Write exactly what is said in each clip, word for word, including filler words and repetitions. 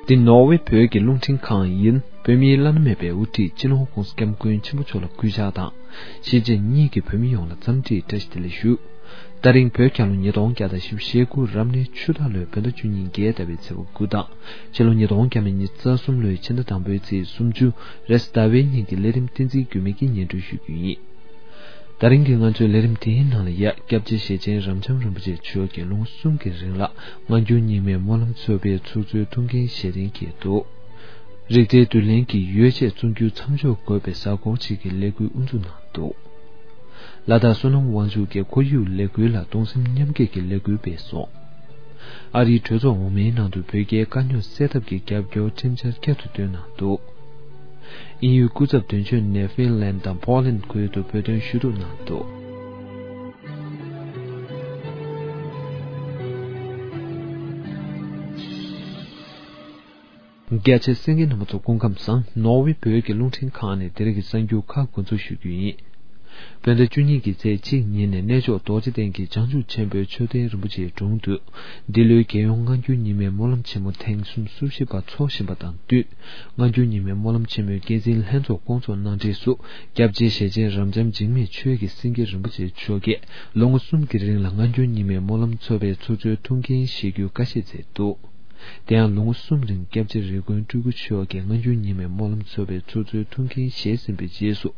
འདི་ནོར་ཝེ་བོད་ཀྱི་རླུང་འཕྲིན་ཁང་ཡིན། བོད་མིའི་བླ་ན་མེད་པའི་དབུ་ཁྲིད་སྤྱི་ནོར་༧གོང་ས་༧སྐྱབས་མགོན་ཆེན་པོ་མཆོག་ལ་གུས་ཕྱག་དང་། གཞིས་བྱེས་གཉིས་ཀྱི་བོད་མི་ཡོངས་ལ་འཚམས་འདྲིའི་བཀྲ་ཤིས་བདེ་ལེགས་ཞུ། ད་རིང་བོད་རྒྱལ་ལོ་ཉིས་སྟོང་བརྒྱ་དང་བཞི་བཅུ་ཞེ་དགུ་རབ་གནས་ཆུ་སྟག་ལོའི་བོད་ཟླ་བཅུ་གཉིས་བརྒྱད་ཟླ་བའི་ཚེས་པ་དགུ་དང་། ཕྱི་ལོ་ཉིས་སྟོང་བརྒྱ་མེད་ཉི་ཤུ་རྩ་གསུམ་ལོའི་ཕྱི་ཟླ་དང་པོའི་ཚེས་སུམ་ཅུ་རེས་གཟའ་ཟླ་བའི་ཉིན་གྱི་ལས་རིམ་བསྟན་འཛིན་རྒྱུད་སྨད་ཀྱིས་སྙན་སྒྲོན་ཞུ་རྒྱུ་ཡིན། ད་རིང་གི་ང་ཚོའི་ལས་རིམ་དེའི་ནང་ལ་ཡ། སྐྱབས་རྗེ་ཞེ་ཆེན་རབ་འབྱམས་རིན་པོ་ཆེ་མཆོག་གིས་ལོ་ངོ་གསུམ་གྱི་རིང་ལ་སྔ་འགྱུར་རྙིང་མའི་སྨོན་ལམ་ཚོགས་པའི་ཚོགས་གཙོའི་ཐུགས་འགན་བཞེས་གཏན་འཁེལ་འདུག་རིག་རྩལ་བསྡུ་ལེན་གྱི་ཡོ་བྱད་བཙོང་རྒྱུ་མཚམས་འཇོག་དགོས་པའི་གཟའ་འཁོར་གཅིག་གི་ལས་འགུལ་དབུ་འཛུགས་གནང་འདུག་ལ་དྭགས་བསོད་ནམས་དབང་ཕྱུག་གིས་ཁོར་ཡུག་ལས་འགུལ་ལ་གདུང་སེམས་མཉམ་སྐྱེད་ཀྱི་ལས་འགུལ་སྤེལ་སོང་། ཨ་རིའི་གྲོས་ཚོགས་འོག་མའི་ནང་དུ་བོད་རྒྱའི་དཀའ་རྙོག་སེལ་ཐབས་ཀྱི་རྒྱབ་སྐྱོར་ཁྲིམས་འཆར་བསྐྱར་དུ་བཏོན་གནང་འདུག་དབྱིན་ཡུལ་སྐུ་ཚབ་དོན་གཅོད་ནས་ཧྥིན་ལན་དང་པོ་ལན་ཁུལ་དུ་བོད་དོན་ཞུ་གཏུག་གནང་འདུག་རྒྱ་ཆེ་གསན་མཁན་རྣམ་པ་ཚོ་སྐུ་ཁམས་བཟང་། ནོར་ཝེ་བོད་ཀྱི་རླུང་འཕྲིན་ཁང་ནས་དེ་རིང་གི་གསར་འགྱུར་ཁག་འགོ་འཛུགས་ཞུ་རྒྱུ་ཡིན། བོད་ཟླ་བཅུ་གཉིས་ཀྱི་ཚེས་གཅིག་ཉིན་ནས་གནས་མཆོག་རྡོ་རྗེ་གདན་གྱི་བྱང་ཆུབ་ཆེན་པོའི་མཆོད་རྟེན་རིན་པོ་ཆེའི་དྲུང་དུ། འདི་ལོའི་རྒྱལ་ཡོངས་སྔ་འགྱུར་རྙིང་མའི་སྨོན་ལམ་ཆེན་མོ་ཐེངས་སུམ་ཅུ་སོ་བཞི་པ་འཚོགས་བཞིན་པ་དང་བསྟུན། སྔ་འགྱུར་རྙིང་མའི་སྨོན་ལམ་ཆེན་མོའི་འགན་འཛིན་ལྷན་ཚོགས་སྐོང་ཚོགས་གནང་འཕྲལ་སུ། སྐྱབས་རྗེ་ཞེ་ཆེན་རབ་འབྱམས་འཇིགས་མེད་ཆོས་ཀྱི་སེང་གེ་རིན་པོ་ཆེ་མཆོག་གིས་ལོ་ངོ་གསུམ་གྱི་རིང་ལ་སྔ་འགྱུར་རྙིང་མའི་སྨོན་ལམ་ཚོགས་པའི་ཚོགས་གཙོའི་ཐུགས་འགན་བཞེས་རྒྱུའི་བཀའ་བཞེས་མཛད་འདུག་དེ་ཡང་ལོ་ངོ་གསུམ་རིང་སྐྱབས་རྗེ་རིགས་མགོན་སྤྲུལ་སྐུ་མཆོག་གིས་སྔ་འགྱུར་རྙིང་མའི་སྨོན་ལམ་ཚོགས་པའི་ཚོགས་གཙོའི་ཐུགས་འགན་བཞེས་ཟིན་པའི་རྗེས་སུ།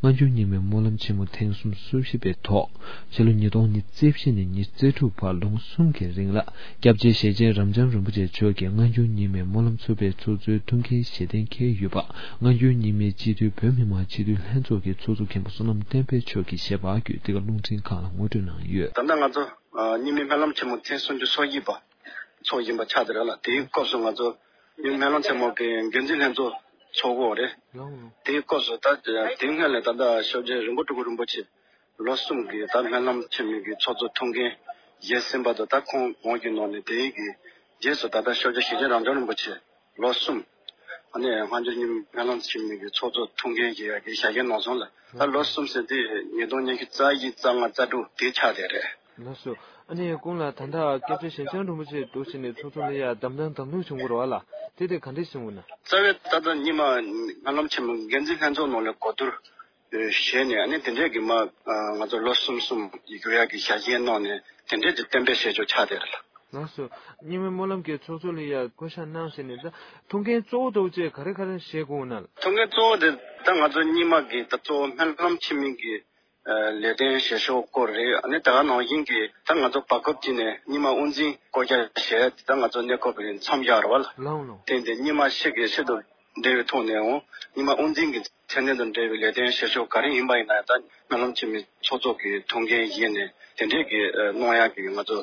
སྔ་འགྱུར་རྙིང་མའི་སྨོན་ལམ་ཆེན་མོ་ཐེངས་སུམ་ཅུ་སོ་བཞི་པའི་ཐོག་ཕྱི་ལོ་ཉིས་སྟོང་ཉི་ཤུ་རྩ་བཞི་ནས་ཉི་ཤུ་རྩ་དྲུག་བར་ལོ་ངོ་གསུམ་གྱི་རིང་ལ། སྐྱབས་རྗེ་ཞེ་ཆེན་རབ་འབྱམས་རིན་པོ་ཆེ་མཆོག་གིས་སྔ་འགྱུར་རྙིང་མའི་སྨོན་ལམ་ཚོགས་པའི་ཚོགས་གཙོའི་ཐུགས་འགན་བཞེས་གཏན་འཁེལ་ཡོད་པ། སྔ་འགྱུར་རྙིང་མའི་སྤྱི་འཐུས་བོད་མི་མང་སྤྱི་འཐུས་ལྷན་ཚོགས་ཀྱི་ཚོགས་གཙོ་མཁན་པོ་བསོད་ནམས་བསྟན་འཕེལ་མཆོག་གིས་ཞལ་པར་བརྒྱུད་འདི་ག་རླུང་འཕྲིན་ཁང་ལ་ངོ་སྤྲོད་གནང་ཡོད། ད་ལྟ་ང་ཚོ་རྙིང་མའི་སྨོན་ལམ་ཆེན་མོ་ཐེངས་སུམ་ཅུ་སོ་གཉིས་པ་ཚོགས་བཞིན་པ་ཆགས་བསྡད་རེད་ལ། དེའི་སྐབས་སུ་ང་ཚོ་རྙིང་མའི་སྨོན་ལམ་ཆེན་མོ་གི་འགན་འཛིན་ལྷན་ཚོགས་ཚོགས་ཀྱི་ཡོད་རེད། དེའི་སྐབས་སུ་ད་དེ་སྔོན་ལ་ད་ལྟ་ཞབས་རྗེ་རིན་པོ་སྤྲུལ་སྐུ་རིན་པོ་ཆེ་ལོ་གསུམ་གྱི་ད་སྨོན་ལམ་ཆེན་མོའི་གི་ཚོགས་གཙོ་ཐུགས་འགན་བཞེས་ཟིན་པ་དང་། ད་ཁོང་འོང་རྒྱུ་ནང་ནས་དེའི་གི་རྗེས་སུ་ད་ལྟ་ཞབས་ཀྱི་ཞེ་ཆེན་རབ་འབྱམས་རིན་པོ་ཆེ་ལོ་གསུམ། ཨ་ནི་སྔ་འགྱུར་རྙིང་མའི་སྨོན་ལམ་ཆེན་མོའི་གི་ཚོགས་གཙོ་ཐུགས་འགན་བཞེས་ཡག་གི་ཞལ་བཞེས་གནང་སོང་ལ། ད་ལོ་གསུམ་ཟེར་དུས་ཉིས་སྟོང་ཉི་ཤུ་རྩ་བཞི་རྩ་ལྔ་རྩ་དྲུག་དེ་ཆགས་བསྡད་རེད། ལགས་སོ། ཨ་ནི་གོང་ལ་ད་ལྟ་སྐྱབས་རྗེ་ཞེ་ཆེན་རིན་པོ་ཆེ་འདུག་བྱས་ནས་ཚོགས་གཙོ་ལ་ཡ་བདམས་ཐོན་བདམས་ཐོན་བྱུང་གི་རེད་བ་ལ། དེ་དེ་ག་འདྲས་བྱུང་ན། རྩ་བའི་ད་ལྟ་རྙིང་མ་སྨོན་ལམ་ཆེན་མོ་འགན་འཛིན་ལྷན་ཚོགས་ནང་ལ་གོ་བསྡུར་བྱས་ནས། ཨ་ནི་དེ་འདྲས་ཀྱི་མ་ང་ཚོ་ལོ་གསུམ་གསུམ་ཡི་གུ་ཡག་གི་ཞལ་བཞེས་གནང་ནས་དེ་འདྲས་ཀྱི་གཏན་འབེབས་བྱས་ཆོག་ཆགས་བསྡད་རེད་ལ། ལགས་སོ། རྙིང་མའི་སྨོན་ལམ་གྱི་ཚོགས་གཙོ་ལ་ཡ་བསྐོ་བཞག་གནང་ཟིན་ནས། ད་ཐུགས་འགན་གཙོ་བོ་དེ་བཅས་ག་རེ་ག་རེ་བཞེས་དགོས་ན། ཐུགས་འགན་གཙོ་བོ་དེ་ད་ང་ཚོ་རྙིང་མ་གི་ད་གཙོ་བོ་སྨོན་ལམ་ཆེན་མོའི་གི་ལས་དོན་བྱེད་ཕྱོགས་སྐོར་རེད། ཨ་ནི་ད་ག་ནང་བཞིན་གྱི་ད་ང་ཚོ་བར་སྐབས་ཅིག་ནས་རྙིང་མ་དབུ་འཛིན་བསྐོ་བཞག་བྱས་ད་ང་ཚོ་གནས་སྐབས་རིང་མཚམས་བཞག་རེད་བ་ལ། ལགས་ལགས། དེ་འདི་རྙིང་མ་ཤེས་དགོས་ཤེས་དང་འབྲེལ་བའི་ཐོག་ནས་འོང་། རྙིང་མ་དབུ་འཛིན་གྱི་མཚན་གནས་དང་འབྲེལ་བའི་ལས་དོན་བྱེད་ཕྱོགས་ག་རེ་ཡིན་པ་ཡིན་ན་ཡང་། ད་སྨོན་ལམ་ཆེན་མོའི་ཚོགས་གཙོ་གི་ཐུགས་འགན་བཞེས་ནས་དེ་འདྲས་ཀྱི་གནང་ཡག་གི་ང་ཚོ་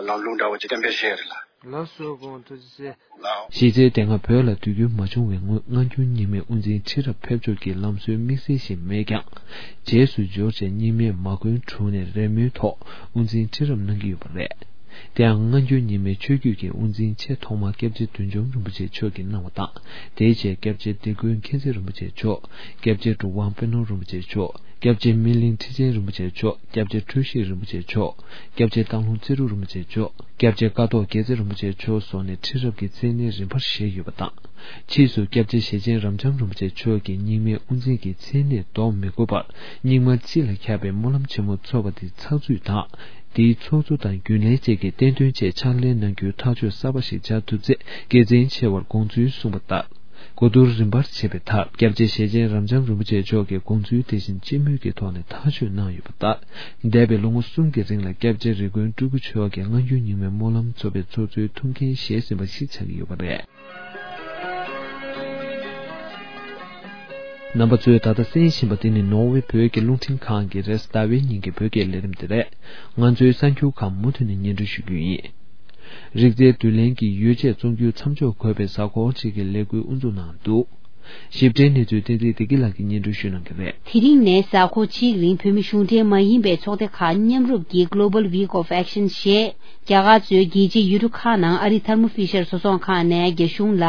ལམ་ལུགས་འདྲ་བོ་ཅིག་གཏན་འབེབས་བྱས་རེད་ལ། ལགས་སོ། དགོངས་ཐུགས་རྗེ་ཆེ། ལགས། གཞི་རྩའི་དེ་སྔ་བོད་ལ་དུས་འགྱུར་མ་བྱུང་བའི་སྔོན་སྔ་འགྱུར་རྙིང་མའི་དབུ་འཛིན་ཁྲི་རབས་ཕེབས་ཕྱོགས་ཀྱི་ལམ་སྲོལ་དམིགས་བསལ་ཞིག་མེད་ཀྱང་། རྗེས་སུ་འབྱོར་བྱས་རྙིང་མས་མ་བསྐོན་དྲུང་ནས་རེས་མོས་ཐོག་དབུ་འཛིན་ཁྲི་རབས་གནང་གི་ཡོད་པ་རེད། དེ་ཡང་སྔ་འགྱུར་རྙིང་མའི་ཆོས་བརྒྱུད་ཀྱི་དབུ་འཛིན་ཆེས་ཐོག་མ་སྐྱབས་རྗེ་བདུད་འཇོམས་རིན་པོ་ཆེ་མཆོག་གིས་གནང་བ་དང་། དེའི་རྗེས་སྐྱབས་རྗེ་སྡེ་དགོན་མཁྱེན་བརྩེ་རིན་པོ་ཆེ་མཆོག་སྐྱབས་རྗེ་གྲུབ་དབང་དཔོན་སློབ་རིན་པོ་ཆེ་མཆོག་སྐྱབས་རྗེ་སྨིན་གླིང་ཁྲི་ཆེན་རིན་པོ་ཆེ་མཆོག་སྐྱབས་རྗེ་འཁྲུལ་ཞིག་རིན་པོ་ཆེ་མཆོག་སྐྱབས་རྗེ་སྟག་ལུང་རྩེ་དྲུག་རིན་པོ་ཆེ་མཆོག་སྐྱབས་རྗེ་ཀཿཐོག་རྒྱལ་མཚན་རིན་པོ་ཆེ་མཆོག་སོགས་ནས་ཁྲི་རབས་ཀྱི་མཚན་གནས་རིམ་པར་བཞེས་ཡོད་པ་དང་། ཕྱིས་སུ་སྐྱབས་རྗེ་ཞེ་ཆེན་རབ་འབྱམས་རིན་པོ་ཆེ་མཆོག་གིས་རྙིང་མའི་དབུ་འཛིན་གྱི་མཚན་གནས་འདོགས་མི་དགོས་པར། རྙིང་མ་སྤྱི་ལ་ཁྱབ་པའི་སྨོན་ལམ་ཆེན་མོ་ཚོགས་པ་དེ་ཚགས་ཚུད་དང་། དེའི་ཚོགས་གཙོ་དང་རྒྱུན་ལས་བཅས་ཀྱི་བསྟན་དོན་ཆེད་ཕྱག་ལས་གནང་རྒྱུའི་ཐག་གཅོད་གསར་པ་ཞིག་བྱ་ཐུབ་ཚེ་དགེ་མཚན་ཆེ་བར་དགོངས་ཚུལ་གསུངས་པ་ལྟར། གོ་བསྡུར་རིམ་པར་བྱས་པའི་མཐར། སྐྱབས་རྗེ་ཞེ་ཆེན་རབ་འབྱམས་རིན་པོ་ཆེ་མཆོག་གིས་དགོངས་ཚུལ་དེ་བཞིན་སྤྱི་མོས་ཀྱི་ཐོག་ནས་ཐག་གཅོད་གནང་ཡོད་པ་ལྟར། འདས་པའི་ལོ་ངོ་གསུམ་གྱི་རིང་ལ་སྐྱབས་རྗེ་རིགས་མགོན་སྤྲུལ་སྐུ་མཆོག་གིས་སྔ་འགྱུར་རྙིང་མའི་སྨོན་ལམ་ཚོགས་པའི་ཚོགས་གཙོའི་ཐུགས་འགན་བཞེས་ཟིན་པ་ཞིག་ཆགས་ཀྱི་ཡོད་པ་རེད། རྣམ་པ་ཚོས་ད་ལྟ་གསན་བཞིན་པ་དེ་ནི་ནོར་ཝེ་བོད་ཀྱི་རླུང་འཕྲིན་ཁང་གི་རེས་གཟའ་ཟླ་བའི་ཉིན་གྱི་བོད་སྐད་ལས་རིམ་དེ་རེད། ང་ཚོའི་གསར་འགྱུར་ཁག་མུ་མཐུད་ནས་སྙན་སྒྲོན་ཞུ་རྒྱུ་ཡིན། རིག་རྩལ་བསྡུ་ལེན་གྱི་ཡོ་བྱད་བཙོང་རྒྱུ་མཚམས་འཇོག་དགོས་པའི་གཟའ་འཁོར་གཅིག་གི་ལས་འགུལ་དབུ་འཛུགས་གནང་འདུག་ཞིབ་ཕྲའི་གནས་ཚུལ་བསྟན་འཛིན་བདེ་སྐྱིད་ལགས་ཀྱིས་སྙན་སྒྲོན་ཞུ་གནང་གི་རེད། དེ་རིང་ནས་གཟའ་འཁོར་གཅིག་རིང་བོད་མི་གཞུང་འབྲེལ་མ་ཡིན་པའི་ཚོགས་སྡེ་ཁག་མཉམ་རུབ་ཀྱིས་Global Week of Action ཞེས། རྒྱ་གར་གཙོས་རྒྱལ་སྤྱིའི་ཡུལ་གྲུ་ཁག་ནང་ཨ་རིའི་ཐལ་མོ་ཕི་ཤར་བཟོ་ཚོང་ཁང་ནས་རྒྱ་གཞུང་ལ།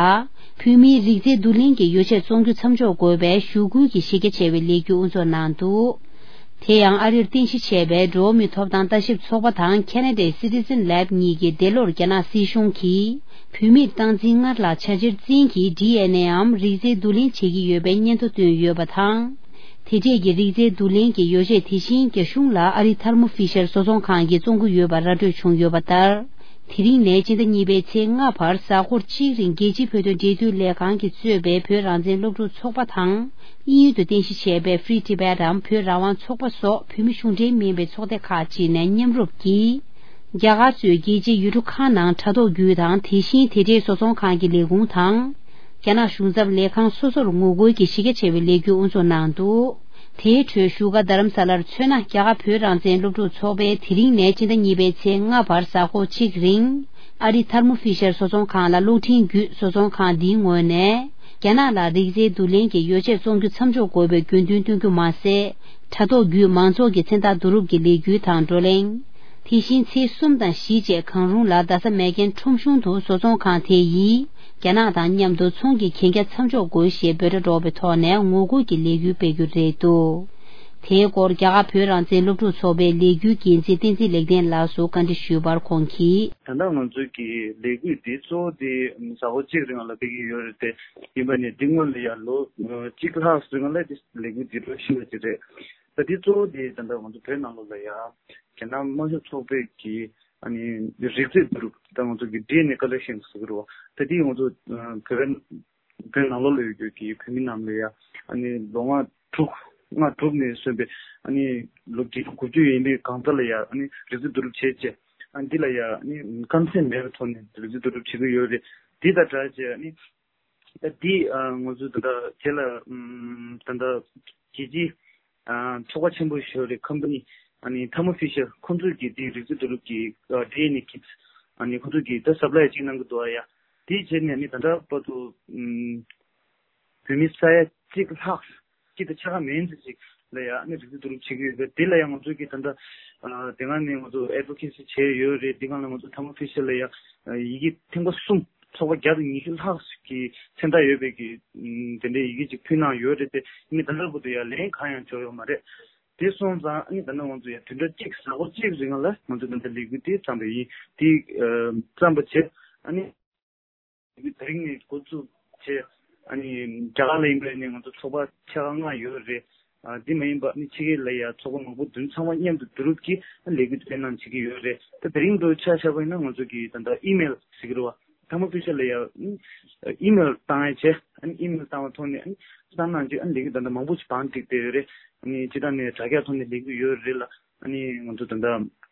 བོད་མིའི་རིག་རྩལ་བསྡུ་ལེན་གྱི་ཡོ་བྱད་བཙོང་རྒྱུ་མཚམས་འཇོག་དགོས་པའི་ཞུ་སྐུལ་གྱི་གཞི་རྒྱ་ཆེ་བའི་ལས་འགུལ་དབུ་འཛུགས་གནང་འདུག་དེ་ཡང་ཨ་རིར་རྟེན་གཞི་བྱས་པའི་འགྲོ་བ་མིའི་ཐོབ་ཐང་ལྟ་ཞིབ་ཚོགས་པ་དང་ཁེ་ན་ཌའི་Citizen Lab གཉིས་ཀྱིས་འདས་ལོར་རྒྱ་ནག་སྲིད་གཞུང་གིས། བུད་མེད་སྟངས་འཛིན་སྔར་ལ་བྱ་བྱེར་རྩིས་ཀྱི་ཌི་ཨེན་ཨེའམ་རིགས་རྫས་བསྡུ་ལེན་བྱེད་ཀྱི་ཡོད་པའི་སྙན་ཐོ་བཏོན་ཡོད་པ་དང་། དེ་འདྲས་ཀྱི་རིགས་རྫས་བསྡུ་ལེན་གྱི་ཡོ་བྱད་དེ་བཞིན་རྒྱ་གཞུང་ལ་ཨ་རི་ཐར་མོ་ཧྥི་ཤར་བཟོ་ཚོང་ཁང་གིས་བཙོང་གི་ཡོད་པ་ར་སྤྲོད་བྱུང་ཡོད་པ་ལྟར། དེ་རིང་ནས་སྤྱི་ཟླ་གཉིས་པའི་ཚེས་ལྔ་བར་གཟའ་འཁོར་གཅིག་རིང་རྒྱལ་སྤྱིའི་བོད་དོན་འབྲེལ་མཐུད་ལས་ཁང་གིས་གཙོས་པའི་བོད་རང་བཙན་སློབ་ཕྲུག་ཚོགས་པ་དང་། དབྱིན་ཡུལ་དུ་རྟེན་གཞི་བྱས་པའི་Free Tibet འམ་བོད་རང་དབང་ཚོགས་པ་སོགས་བོད་མི་གཞུང་འབྲེལ་མིན་པའི་ཚོགས་སྡེ་ཁག་ཅིག་ནས་མཉམ་རུབ་ཀྱིས། རྒྱ་གར་གཙོས་རྒྱལ་སྤྱིའི་ཡུལ་གྲུ་ཁག་ནང་དྲ་ཐོག་བརྒྱུད་དང་། དེ་བཞིན་དེ་འབྲེལ་བཟོ་ཚོང་ཁང་གི་ལས་ཁུངས་དང་། རྒྱ་ནག་གཞུང་ཚབ་ལས་ཁང་སོ་སོར་ངོ་རྒོལ་གྱི་གཞི་རྒྱ་ཆེ་བའི་ལས་འགུལ་དབུ་འཛུགས་གནང་འདུག་དེའི་ཁྲོད་བཞུགས་སྒར་རྡ་རམ་ས་ལར་མཚོན་ན། རྒྱ་གར་བོད་རང་བཙན་སློབ་ཕྲུག་ཚོགས་པས་དེ་རིང་ནས་སྤྱི་ཟླ་གཉིས་པའི་ཚེས་ལྔ་བར་གཟའ་འཁོར་གཅིག་རིང་། ཨ་རི་ཐར་མོ་ཧྥི་ཤར་བཟོ་ཚོང་ཁང་ལ་གློག་འཕྲིན་བརྒྱུད་བཟོ་ཚོང་ཁང་འདིའི་ངོས་ནས། རྒྱ་ནག་ལ་རིགས་རྫས་བསྡུ་ལེན་གྱི་ཡོ་བྱད་བཙོང་རྒྱུ་མཚམས་འཇོག་དགོས་པའི་དགོས་འདུན་བཏོན་རྒྱུ་མ་ཟད། དྲ་ཐོག་བརྒྱུད་མང་ཚོགས་ཀྱི་མཚན་རྟགས་བསྡུ་རུབ་ཀྱི་ལས་འགུལ་དང་བགྲོ་གླེང་། དེ་བཞིན་ཚེས་གསུམ་དང་བཞི་བཅས་གང་རུང་ལ་རྡ་ས་མེག་གྷན་ཁྲོམ་གཞུང་དུ་བཟོ་ཚོང་ཁང་དེ་ཡིས་རྒྱ་ནག་དང་མཉམ་དུ་ཚོང་གི་གན་རྒྱ་མཚམས་འཇོག་དགོས་ཞེས་འབོད་སྒྲ་སྒྲོག་པའི་ཐོག་ནས་ངོ་རྒོལ་གྱི་ལས་འགུལ་སྤེལ་རྒྱུ་རེད་འདུག་དེའི་སྐོར་རྒྱ་གར་བོད་རང་བཙན་སློབ་ཕྲུག་ཚོགས་པའི་ལས་འགུལ་འགན་འཛིན་བསྟན་འཛིན་ལེགས་ལྡན་ལགས་སུ་བཀའ་འདྲི་ཞུས་པར་ཁོང་གིས། ད་ལྟ་ང་ཚོའི་གི་ལས་འགུལ་འདི་གཙོ་བོ་དེ་གཟའ་འཁོར་གཅིག་རིང་ལ་སྤེལ་གྱི་ཡོད་རེད་དེ། ཡིན་པ་ནས་འདི་སྔོན་ལ་ཡང་ལོ་གཅིག་ལྷག་རིང་ལ་དེ་ལས་འགུལ་འདི་འགྲོ་བཞིན་པ་ཅིག་རེད། ད་འདི་གཙོ་བོ་དེ་ད་ལྟ་ང་ཚོ་བོད་ནང་ལོགས་ལ་ཡང་རྒྱ་ནག་དམར་ཤོག་ཚོགས་པའི་གི་ཨ་ནི་རིགས་རྫས་བསྡུ་རུབ། ད་ང་ཚོ་གི་ཌི་ཨེན་ཨེ་ཀ་ལེག་ཤན་ཟེར་གི་རེད་བ། ད་འདི་ང་ཚོ་བོད་བོད་ནང་ལོགས་ལ་ཡོད་རྒྱུ་གི་བོད་མི་རྣམས་ལ་ཡང་ཨ་ནི་ལོ་ལྔ་དྲུག་ལྔ་དྲུག་ནས་སོན་པའི་ཨ་ནི་ལོ་བརྒྱད་ཅུ་དགུ་བཅུ་ཡན་པའི་གང་ཟག་ལ་ཡང་ཨ་ནི་རིགས་རྫས་བསྡུ་རུབ་བྱས་རྗེས། ཨ་འདི་ལ་ཡང་ཨ་ནི་ཀན་སེལ་མེད་པའི་ཐོག་ནས་རིགས་རྫས་བསྡུ་རུབ་བྱེད་ཀྱི་ཡོད་རེད། འདི་དང་སྦྲགས་བྱས་ཨ་ནི་ད་འདི་ང་ཚོ་ད་ལྟ་རྗེས་ལ་ད་ལྟ་རྒྱལ་སྤྱིའི་ཚོགས་པ་ཆེན་པོ་ཞིག་ཡོད་རེད། ཁམ་པ་ནི་ཨ་ནི་ཐར་མོ་ཧྥི་ཤར་ཁོང་ཚོས་ཀྱིས་འདི་རིགས་རྫས་བསྡུ་རུབ་ཀྱི་ཌི་ཨེན་ཨེ་ཀིཊ་ཨ་ནི་ཁོང་ཚོས་ཀྱིས་ད་སབ་ལའི་ཅིག་གནང་གི་འདུག་ཨ། ཡ་འདི་བྱས་ནས་ནི་ད་ལྟ་བར་དུ་བོད་མི་ས་ཡ་གཅིག་ལྷག་གཅིག་དང་ཕྱེད་ཀ་མན་ཙམ་ཅིག་ལ་ཡང་ཨ་ནི་རིགས་རྫས་བསྡུ་རུབ་བྱེད་ཀྱི་ཡོད་པས། དེ་ལ་ཡང་ང་ཚོས་ཀྱིས་ད་ལྟ་དེ་སྒང་ནས་ང་ཚོ་ཨེ་ཌི་ཝོ་ཀེ་སི་བྱས་ཡོད་རེད། དེ་སྒང་ལ་ང་ཚོ་ཐར་མོ་ཧྥི་ཤར་ལ་ཡང་ཡི་གེ་ཐེངས་མ་གསུམ་ཚོགས་པ་བརྒྱ་དང་ཉི་ཤུ་ལྷག་གི་མཚན་རྟགས་ཡོད་པའི་གི་དེ་འདྲའི་ཡི་གེ་ཅིག་ཕུལ་གནང་ཡོད་རེད་དེ། ཨ་ནི་ད་ལྟ་བར་དུ་ཡང་ལན་གང་ཡང་འབྱོར་ཡོད་མ་རེད། དེ་སོང་ཙང་ཨ་ནི་ད་ལྟ་ང་ཚོ་ཡང་བདུན་ཕྲག་གཅིག་གཟའ་འཁོར་གཅིག་རིང་ལ་ང་ཚོ་ད་ལྟ་ལས་འགུལ་དེ་བརྩམས་པ་ཡིན། དེ་བརྩམས་པ་བྱས་ཨ་ནི། དེ་རིང་ནས་འགོ་བཙུགས་བྱས། ཨ་ནི་རྒྱ་གར་ལ་ཡིན་པ་ནས་ང་ཚོ་ཚོགས་པ་ཕྱེད་ཀ་ལྔ་ཡོད་རེད། ཨ་འདི་མ་ཡིན་པ་ཨ་ནི་ཕྱི་རྒྱལ་ལ་ཡང་ཚོགས་པ་མང་པོ་བདུན་ཚང་མ་མཉམ་དུ་བསྡུ་རུབ་ཀྱིས་ཨ་ལས་འགུལ་སྤེལ་གནང་བྱེད་ཀྱི་ཡོད་རེད། ད་དེ་རིང་འདྲ་ཆ་བཞག་པ་ཡིན་ན་ང་ཚོ་གི་ད་ལྟ་ཨི་མེལ་ཟེར་གྱི་རེད་བ། ཐར་མོ་ཧྥི་ཤར་ལ་ཡང་ཨི་མེལ་བཏང་ཡ་བྱས། ཨ་ནི་ཨི་མེལ་བཏང་བ་ཐོག་ནས་ཨ་ནི་བསམ་གནང་བྱས། ཨ་ནི་ལས་འགུལ་ད་ལྟ་མང་པོ་ཞིག་བང་བསྒྲིགས་བསྡད་ཡོད་རེད། ཨ་ནི་སྤྱི་བཏང་ནས་དྲ་རྒྱ་ཐོག་ནས་ལས་འགུལ་ཡོད་རེད་ལ། ཨ་ནི་ང་ཚོ་ད་ལྟ་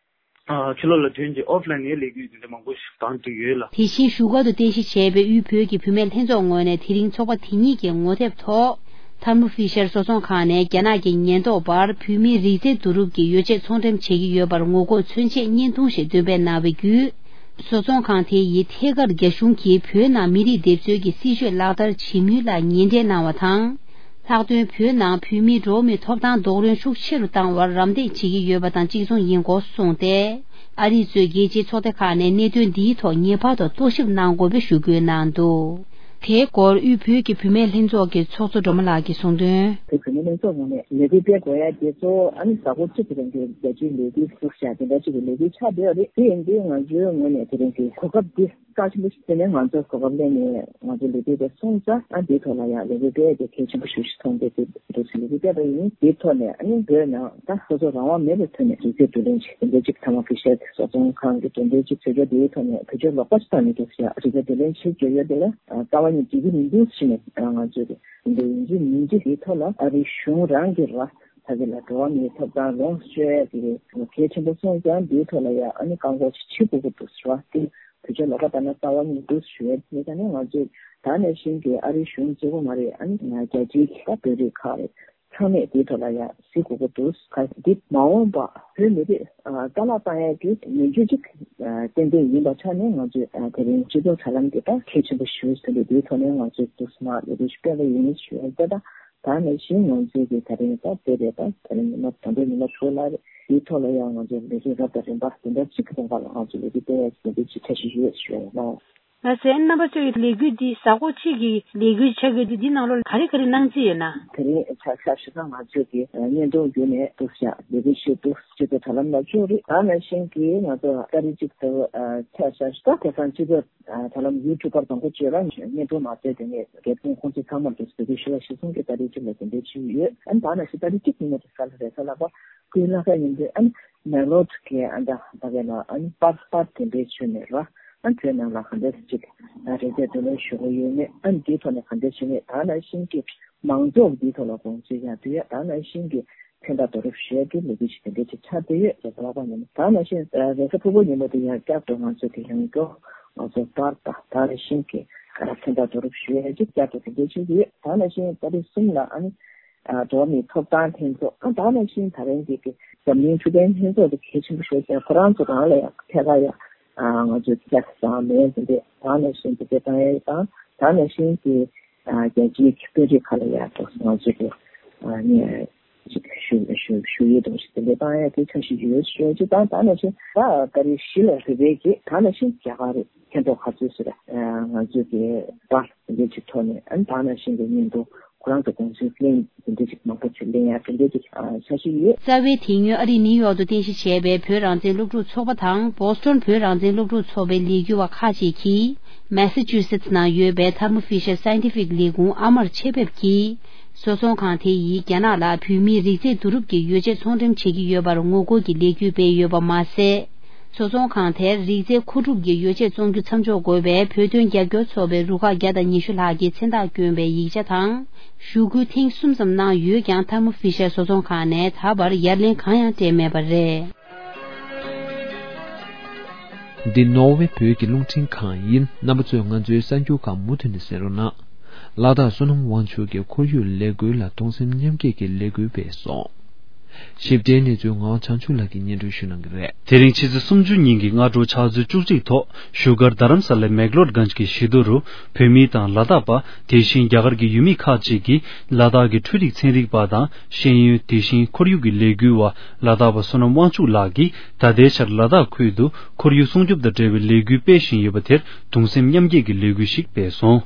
ཨ་ཕྱི་ལོགས་ལ་ཐོན་རྗེས་ཨོཕ་ལའིན་ནས་ལས་འགུལ་དེ་འདྲ་མང་པོ་ཞིག་བང་བསྒྲིགས་ཡོད་ལ། དེ་བཞིན་བཞུགས་སྒར་དུ་རྟེན་གཞི་བྱས་པའི་དབུས་བོད་ཀྱི་བུད་མེད་ལྷན་ཚོགས་ངོས་ནས་དེ་རིང་ཚོགས་པ་དེ་གཉིས་ཀྱི་ངོ་དེབ་ཐོག་ཐར་མོ་ཧྥི་ཤར་བཟོ་ཚོང་ཁང་ནས་རྒྱ་ནག་གི་ཉེན་རྟོག་པར་བོད་མིའི་རིགས་རྫས་བསྡུ་རུབ་ཀྱི་ཡོ་བྱད་ཚོང་འགྲེམས་བྱེད་ཀྱི་ཡོད་པར་ངོ་རྒོལ་མཚོན་ཆེད་བརྙན་ཐུང་ཞིག་འདོན་སྤེལ་གནང་བའི་བརྒྱུད། བཟོ་ཚོང་ཁང་དེ་ཡིས་ཐད་ཀར་རྒྱ་གཞུང་གིས་བོད་ནང་མི་རིགས་སྡེབ་གསོད་ཀྱི་སྲིད་བྱུས་ལག་བསྟར་བྱེད་མུས་ལ་ཉེས་འབྲེལ་གནང་བ་དང་། ལྷག་དོན་བོད་ནང་བོད་མིའི་འགྲོ་བ་མིའི་ཐོབ་ཐང་རྡོག་རོལ་ཤུགས་ཆེ་རུ་བཏང་བར་རམ་འདེགས་བྱེད་ཀྱི་ཡོད་པ་དང་གཅིག་མཚུངས་ཡིན་སྐོར་གསུངས་ཏེ། ཨ་རི་གཙོས་རྒྱལ་སྤྱིའི་ཚོགས་སྡེ་ཁག་ནས་གནད་དོན་འདིའི་ཐོག་ངེས་པར་དུ་རྟོག་ཞིབ་གནང་དགོས་པའི་ཞུ་སྐུལ་གནང་འདུག་དེའི་སྐོར་དབུས་བོད་ཀྱི་བུད་མེད་ལྷན་ཚོགས་ཀྱི་ཚོགས་གཙོ་སྒྲོལ་མ་ལགས་ཀྱིས་གསུངས་དོན། བོད་བུད་མེད་ལྷན་ཚོགས་ངོས་ནས་ལས་འགུལ་སྤེལ་དགོས་ཡ་དེ་གཙོ་བོ་ཨ་ནི་གཟའ་འཁོར་གཅིག་གི་རིང་གི་རྒྱལ་སྤྱིའི་ལས་འགུལ་ཚོགས་བཞག་དེ་འདྲ་གཅིག་གི་ལས་འགུལ་ཆགས་བསྡད་ཡོད་རེད། དེ་ཡིན་དུས་ང་ཚོའི་ངོས་ནས་དེ་རིང་གི་གོ་སྐབས་འདི་རྩ་ཆེན་པོ་ཞིག་བརྩིས་ནས་ང་ཚོར་གོ་སྐབས་ལེན་ནས་ང་ཚོ་ལས་འགུལ་དེ་སོང་ཙང་ཨ་འདིའི་ཐོག་ལ་ཡང་ལས་འགུལ་སྤེལ་ཡ་དེ་གལ་ཆེན་པོ་ཞིག་ཞིག་མཐོང་སྟེ་དེ་འདུག་ཟེར་ལས་འགུལ་སྤེལ་བ་ཡིན། དེའི་ཐོག་ནས་ཨ་ནི་བོད་ནང་ད་སོ་སོ་རང་དབང་མེད་པའི་ཐོག་ནས་རིགས་རྫས་བསྡུ་ལེན་བྱེད་དེ་འདྲ་ཅིག་ཐ་མག་གི་ཤར་གྱི་བཟོ་ཚོང་ཁང་གི་དེ་འདྲ་ཅིག་བྱེད་རྒྱུ་དེའི་ཐོག་ནས་བེད་སྤྱོད་ལོག་པ་ཞིག་བཏང་ནས་འདུག་ཟེར། རིགས་རྫས་བསྡུ་ལེན་བྱེད་རྒྱུ་ཡོད་དེ་ལ་རྩ་བ་ཉིད་འགྲིག་གི་མི་འདུག་ཟེར་ནས་ང་ཚོས་དེ་འདྲ་ཡིན་གཅིག་མིན་གཅིག་དེའི་ཐོག་ལ་ཨ་རིའི་གཞུང་རང་གིས་ར་ཕ་གི་ལ་འགྲོ་བ་མིའི་ཐོབ་ཐང་ལོངས་སྤྱོད་ཡ་དེ་གལ་ཆེན་པོ་སོང་ཙང་དེའི་ཐོག་ལ་ཡ་ཨ་ནི་བཀག་འགོག་ཅིག་བྱེད་དགོས་ཀྱི་འདུག་ཟེར་བ་དེ། བེད་སྤྱོད་ལོག་པ་བཏང་ན་རྩ་བ་ཉིད་འདུག་ཞུ་ཡས་དེ་ད་ནས་ང་ཚོས་ད་ནས་བཞིན་གྱི་ཨ་རིའི་གཞུང་གཅིག་པོ་མ་རེད། ཨ་ནི་ང་རྒྱལ་སྤྱིའི་ད་བོད་རིགས་ཁག་རེད། ཚང་མས་དེའི་ཐོག་ལ་ཡང་གཟིགས་དགོས་ཀྱི་འདུག་ག་འདི་མ་འོངས་པ་བོད་མི་རིགས་རྩ་བརླག་བཏང་ཡས་ཀྱི་ནུས་རྒྱུ་གཅིག་ཏན་ཏན་ཡིན་པ་ཆ་ནས་ང་ཚོས་དེ་རིང་སྤྱི་ཚོགས་དྲ་ལམ་དེ་ད་གལ་ཆེན་པོ་ཞུ་ཟིན་པས་དེའི་ཐོག་ནས་ང་ཚོས་འདུག་སེ་མར་ལས་དོན་ཞིག་སྤེལ་བ་ཡིན་ཞུ་ཡས་ད་ད་ད་ནས་བཞིན་ང་ཚོས་ཀྱི་ད་རིང་ད་དེ་རེད། ད་ད་རིང་ཉི་མ་དང་པོའི་ཉི་མ་དྲུག་ལ་རེད། དེའི་ཐོག་ལ་ཡང་ང་ཚོས་ལས་དོན་རབ་དང་རིམ་པ་དེ་འདྲ་གཅིག་གི་ཐོག་ལ་ང་ཚོས་ལས་དོན་སྤེལ་ཡ་གི་འདུན་འདོད་ཅིག་ཁྱད་ཞིག་ཡོད་ཞུ་ཡ་ཡིན་ལ། ལགས་སོ། རྣམ་པ་ཚོའི་ལས་འགུལ་འདི་གཟའ་འཁོར་གཅིག་གི་ལས་འགུལ་ཆགས་ཀྱི་འདུག་འདི་ནང་ལོགས་ག་རེ་ག་རེ་གནང་རྩིས་ཡོད་ན། དེ་རིང་ཆ་ཤས་ཤིག་ང་ཚོས་ཀྱི་བརྙན་ཐུང་བརྒྱུད་ནས་འདུག་ཤག་ལས་འགུལ་ཞུས་འདུག་སྤྱི་ཚོགས་དྲ་ལམ་ལ་བཅུག་རེད། ད་ནང་བཞིན་གྱི་ང་ཚོ་ཏ་རིག་གཅིག་ཏུ་ཆ་ཤས་ཤིག་ད་དེང་སང་སྤྱི་ཚོགས་དྲ་ལམ་ཡུ་ཊུབ་པར་དང་པོ་བཅས་ལ་བརྙན་ཐུང་མ་བཙལ་དེ་ནས་རྒྱལ་ཁོངས་ཁོང་ཚོ་ཚང་མར་འདུག་ལས་འགུལ་ཞུ་བ་གཞིར་བཟུང་གི་ཏ་རིག་གཅིག་ལ་དེ་འདྲའི་བཅུག་ཡོད། ཨ་ནི་ད་ནང་བཞིན་ཏ་རིག་གཅིག་ཉིན་མོ་དེ་ག་ལ་རེད་ས་ལགས་པ། སྐུའི་བླ་ག་ཡིན་དུས་ཨ་ནི་མེག་ལོར་གི་ཨ་ད་ད་གའི་ལ་ཨ་ནི་པར་པར་དེ་འདྲའི་བྱོས་ནས་ར། ཨ་ནི་དེའི་ནང་ལ་ག་འདྲས་ཅིག་རེ་འདོད་དེ་ནས་ཞུ་གི་ཡོད་མེད། ཨ་ནི་དེའི་ཐོག་ནས་ག་འདྲས་བྱས་ནས་ད་ནང་བཞིན་གྱི་མང་ཚོགས་འདིའི་ཐོག་ལ་དགོངས་ཚུལ་ཡང་དུས་ཡ་ད་ནང་བཞིན་གྱི་མཚན་རྟགས་བསྡུ་རུབ་ཞུ་ཡ་གི་ལས་འགུལ་ཞིག་དེ་འདྲས་ཅིག་ཆགས་བསྡད་ཡོད་ཟེར་ལབ་པ་ཡིན། ད་ནང་བཞིན་རེས་གཟའ་ཕུར་བུ་ཉིན་མོ་དེ་ཡང་བསྐྱར་དུ་ང་ཚོས་དེ་ཡང་སྐྱོ་ང་ཚོ་པར་དང་ད་ནང་བཞིན་གྱི་མཚན་རྟགས་བསྡུ་རུབ་ཞུ་ཡ་གི་བསྐྱར་དུ་དེ་འདྲས་ཅིག་ཡོད། ད་ནང་བཞིན་ཏ་རིག་གསུམ་ལ་ཨ་ནི། འགྲོ་བ་མིའི་ཐོབ་ཐང་ལྷན་ཚོགས། ཨ་ད་ནང་བཞིན་ད་རིང་གི་གི་འཛམ་གླིང་ཆོས་ལྡན་ལྷན་ཚོགས་དེ་གལ་ཆེན་པོ་ཞིག་ཡིན། ཁོ་རང་ཚོ་རང་ལ་ཡང་ཐད་ཀར་ཡང་ང་ཚོས་ཀྱག་བཟང་མེད་ཟིན་ཏེ་ད་ནང་བཞིན་དེ་འདྲ་བཏང་ཡས་དང་ད་ནང་བཞིན་གྱི་རྒྱལ་སྤྱིའི་དཔོན་རིགས་ཁག་ལ་ཡང་ང་ཚོས་གི་ནས་ཞུ་ཞུ་ཞུ་ཡས་དང་ཞིག་དེ་འདྲ་བཏང་ཡས་དེ་འཆར་གཞི་ཡོད་ཞུ་ཡས་ཅིག་དང་ད་ནང་བཞིན་ད་ད་རེས་གཞིས་ལ་རེ་བའི་གི་ད་ནང་བཞིན་རྒྱ་གར་རེད། མཁན་ཐོག་ཁ་ཚུལ་ཟེར་ང་ཚོས་ཀྱི་པར་འདི་ཅིག་ཐོག་ནས་ཨ་ནི་ད་ནང་བཞིན་གྱི་བརྙན་ཐུང་ཁོ་རང་ཚོ་དགོངས་ཚུལ་གླེང་འདི་འདྲ་ཅིག་མང་པོ་ཅིག་གླེང་ཡ་དེ་འདྲ་ཅིག་འཆར་གཞི་ཡོད། རྩ་བའི་དེ་སྔོན་ཨ་རིའི་ནིའུ་ཡོག་ཏུ་རྟེན་གཞི་བྱས་པའི་བོད་རང་བཙན་སློབ་ཕྲུག་ཚོགས་པ་དང་བོ་སི་ཊོན་བོད་རང་བཙན་སློབ་ཕྲུག་ཚོགས་པའི་ལས་འགུལ་བ་ཁག་ཅིག་གིས་མེ་ས་ཅུ་སེ་ཊི་ནང་ཡོད་པའི་ཐར་མོ་ཕི་ཤར་སའེན་ཊི་ཕིག་ལས་ཁུངས་ཨ་མར་ཆེད་ཕེབས་ཀྱིས་སོ་ཚོང་ཁང་དེ་ཡིས་རྒྱ་ནག་ལ་བོད་མིའི་རིགས་རྫས་བསྡུ་རུབ་ཀྱི་ཡོ་བྱད་ཚོང་འགྲེམས་བྱེད་ཀྱི་ཡོད་པར་ངོ་རྒོལ་གྱི་ལས་འགུལ་སྤེལ་ཡོད་པ་མ་ཟད། སོ་ཚོང་ཁང་དེར་རིགས་རྫས་མཁོ་སྒྲུབ་ཀྱི་ཡོ་བྱད་བཙོང་རྒྱུ་མཚམས་འཇོག་དགོས་པའི་བོད་དོན་རྒྱབ་སྐྱོར་ཚོགས་པའི་རུ་ཁག་བརྒྱ་དང་ཉི་ཤུ་ལྷག་གིས་མཚན་རྟགས་བསྐྱོན་པའི་ཡིག་ཆ་དང་ཞུ་སྐུལ་ཐེངས་གསུམ་ཙམ་གནང་ཡོད་ཀྱང་ཐར་མོ་ཕི་ཤར་བཟོ་ཚོང་ཁང་ནས་ད་བར་ཡར་ལན་གང་ཡང་སྤྲད་མེད་པ་རེད། འདི་ནོར་ཝེ་བོད་ཀྱི་རླུང་འཕྲིན་ཁང་ཡིན། རྣམ་པ་ཚོས་ང་ཚོའི་གསར་འགྱུར་ཁག་མུ་མཐུད་ནས་གསན་རོགས་གནང་། ལ་དྭགས་བསོད་ནམས་དབང་ཕྱུག་གིས་ཁོར་ཡུག་ལས་འགུལ་ལ་གདུང་སེམས་མཉམ་སྐྱེད་ཀྱི་ལས་འགུལ་སྤེལ་སོང་། ཞིབ་ཕྲའི་གནས་ཚུལ་ངག་དབང་བྱང་ཆུབ་ལགས་ཀྱིས་སྙན་སྒྲོན་ཞུ་གནང་གི་རེད། དེ་རིང་ཕྱི་ཚེས་སུམ་ཅུ་ཉིན་གྱི་སྔ་དྲོ་ཕྱག་ཚོད་བཅུ་གཅིག་ཐོག་བཞུགས་སྒར་རྡ་རམ་ས་ལའི་མེག་ལོར་གྷན་ཇི་གི་བཞི་མདོ་རུ་བོད་མི་དང་ལ་དྭགས་པ། དེ་བཞིན་རྒྱ་གར་གྱི་ཡུལ་མི་ཁག་ཅིག་གིས་ལ་དྭགས་ཀྱི་འཕྲུལ་རིག་ཚན་རིག་པ་དང་ཤེས་ཡོན། དེ་བཞིན་ཁོར་ཡུག་གི་ལས་འགུལ་བ་ལ་དྭགས་པ་བསོད་ནམས་དབང་ཕྱུག་ལགས་ཀྱིས་ད་ལྟའི་ཆར་ལ་དྭགས་ཁུལ་དུ་ཁོར་ཡུག་སྲུང་སྐྱོབ་དང་འབྲེལ་བའི་ལས་འགུལ་སྤེལ་བཞིན་ཡོད་པ་དེར་གདུང་སེམས་མཉམ་སྐྱེད་ཀྱི་ལས་འགུལ་ཞིག་སྤེལ་སོང་།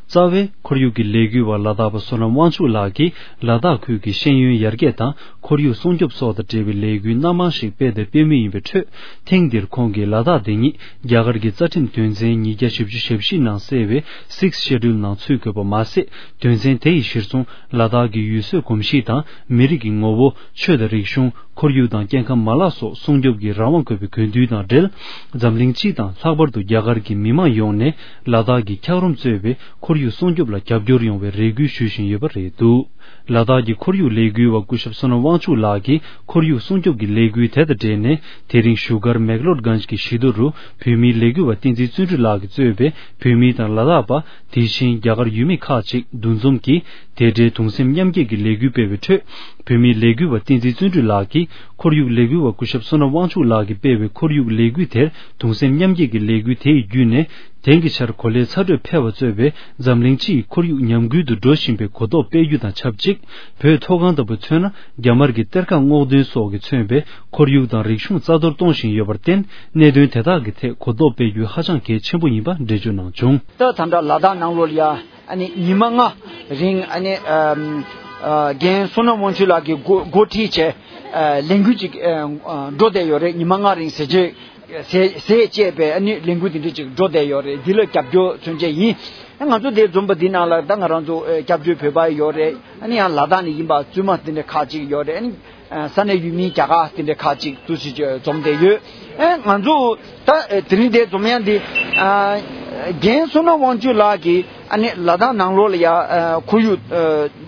རྩ་བའི་ཁོར་ཡུག་གི་ལས་འགུལ་བ་ལ་དྭགས་པ་བསོད་ནམས་དབང་ཕྱུག་ལགས་ཀྱིས་ལ་དྭགས་ཁུལ་གྱི་ཤེས་ཡོན་ཡར་རྒྱས་དང་ཁོར་ཡུག་སྲུང་སྐྱོབ་སོགས་དང་འབྲེལ་བའི་ལས་འགུལ་སྣ་མང་ཞིག་སྤེལ་དང་སྤེལ་མུས་ཡིན་པའི་ཁྲོད། ཐེངས་འདིར་ཁོང་གིས་ལ་དྭགས་དེ་ཉིད་རྒྱ་གར་གྱི་རྩ་ཁྲིམས་དོན་ཚན་ཉིས་བརྒྱ་བཞི་བཅུ་ཞེ་བཞི་ནང་གསལ་བའི་Sixth Schedule ནང་ཚུད་དགོས་པ་མ་ཟད། དོན་ཚན་དེ་ཡིས་གཞིར་བཟུང་ལ་དྭགས་ཀྱི་ཡུལ་སྲོལ་གོམས་གཤིས་དང་མི་རིགས་ཀྱི་ངོ་བོ། ཆོས་དང་རིག་གཞུང་། ཁོར་ཡུག་དང་སྐྱེ་ཁམས་མ་ལག་སོགས་སྲུང་སྐྱོབ་ཀྱི་རང་དབང་དགོས་པའི་དགོས་འདུན་དང་འབྲེལ། འཛམ་གླིང་སྤྱི་དང་ལྷག་པར་དུ་རྒྱ་གར་གྱི་མི་མང་ཡོངས་ནས་ལ་དྭགས་ཀྱི་འཁྱགས་རོམ་གཙོས་པའི་ཁོར་ཡུག་སྲུང་སྐྱོབ་ལ་རྒྱབ་སྐྱོར་ཡོང་བའི་རེ་སྐུལ་ཞུ་བཞིན་ཡོད་པ་རེད་འདུག་ལ་དྭགས་ཀྱི་ཁོར་ཡུག་ལས་འགུལ་བ་སྐུ་ཞབས་བསོད་ནམས་དབང་ཕྱུག་ལགས་ཀྱིས་ཁོར་ཡུག་སྲུང་སྐྱོབ་ཀྱི་ལས་འགུལ་དེ་དང་འབྲེལ་ནས་དེ་རིང་བཞུགས་སྒར་མེག་ལོར་གྷན་ཇི་གི་བཞི་མདོ་རུ་བོད་མིའི་ལས་འགུལ་བ་བསྟན་འཛིན་བརྩོན་འགྲུས་ལགས་ཀྱིས་གཙོས་པའི་བོད་མི་དང་ལ་དྭགས་པ། དེ་བཞིན་རྒྱ་གར་ཡུལ་མི་ཁག་ཅིག་འདུ་འཛོམས་ཀྱིས་དེ་འབྲེལ་གདུང་སེམས་མཉམ་སྐྱེད་ཀྱི་ལས་འགུལ་སྤེལ་བའི་ཁྲོད། བོད་མིའི་ལས་འགུལ་བ་བསྟན་འཛིན་བརྩོན་འགྲུས་ལགས་ཀྱིས་ཁོར་ཡུག་ལས་འགུལ་བ་སྐུ་ཞབས་བསོད་ནམས་དབང་ཕྱུག་ལགས་ཀྱིས་སྤེལ་བའི་ཁོར་ཡུག་ལས་འགུལ་དེར་གདུང་སེམས་མཉམ་སྐྱེད་ཀྱི་ལས་འགུལ་དེ་ཡི་བརྒྱུད་ནས། དེང་གི་ཆར་གོ་ལའི་ཚ་དྲོད་འཕེལ་བ་གཙོས་པའི་འཛམ་གླིང་སྤྱི་ཡི་ཁོར་ཡུག་ཉམས་རྒུད་དུ་འགྲོ་བཞིན་པའི་གོ་རྟོགས་སྤེལ་རྒྱུ་དང་ཆབས་ཅིག་བོད་མཐོ་སྒང་ལྟ་བུ་མཚོན་ན། རྒྱ་དམར་གྱི་གཏེར་ཁ་སྔོག་འདོན་སོགས་ཀྱིས་མཚོན་པའི་ཁོར་ཡུག་དང་རིག་གཞུང་རྩ་གཏོར་གཏོང་བཞིན་ཡོད་པར་བརྟེན། གནད་དོན་དེ་དག་གི་ཐད་གོ་རྟོགས་སྤེལ་རྒྱུ་ཧ་ཅང་གལ་ཆེན་པོ་ཡིན་པ་འགྲེལ་བརྗོད་གནང་བྱུང་། ད་ད་ལྟ་ལ་དྭགས་ནང་ལོགས་ལ་ཡ་ཨ་ནི་ཉི་མ་ལྔ་རིང་ཨ་ནི་ཨམ་ཨ་རྒན་བསོད་ནམས་དབང་ཕྱུག་ལགས་ཀྱིས་འགོ་འགོ་ཁྲིད་བྱས་ཨ་ལས་འགུལ་ཅིག་ཨ་འགྲོ་བསྡད་ཡོད་རེད། ཉི་མ་ལྔ་རིང་ཟས་བཅད་ཟས་ཟས་བཅད་པའི་ཨ་ནི་ལས་འགུལ་དེ་འདྲ་ཅིག་འགྲོ་བསྡད་ཡོད་རེད། འདི་ལ་རྒྱབ་སྐྱོར་མཚོན་བྱེད་ཡིན། ང་ཚོ་དེ་འཛོམས་པ་འདི་ནང་ལ་ད་ང་རང་ཚོ་ཨ་སྐྱབས་བཅོལ་བོད་པ་ཡོད་རེད། ཨ་ནི་ཡང་ལ་དྭགས་ནས་ཡིན་པ་བཙུན་མ་དེ་འདྲ་ཁག་ཅིག་ཡོད་རེད། ཨ་ནི། ས་གནས་ཡུལ་མི་རྒྱ་གར་དེ་འདྲ་ཁག་ཅིག་ཏུ་ཞིག་འཛོམས་བསྡད་ཡོད། ཨེ་ང་ཚོ་ད་དེ་རིང་དེ་འཛོམས་ཡ་འདི་རྒན་བསོད་ནམས་དབང་ཕྱུག་ལགས་ཀྱིས་ཨ་ནི་ལ་དྭགས་ནང་ལོགས་ལ་ཡ་ཁོར་ཡུག་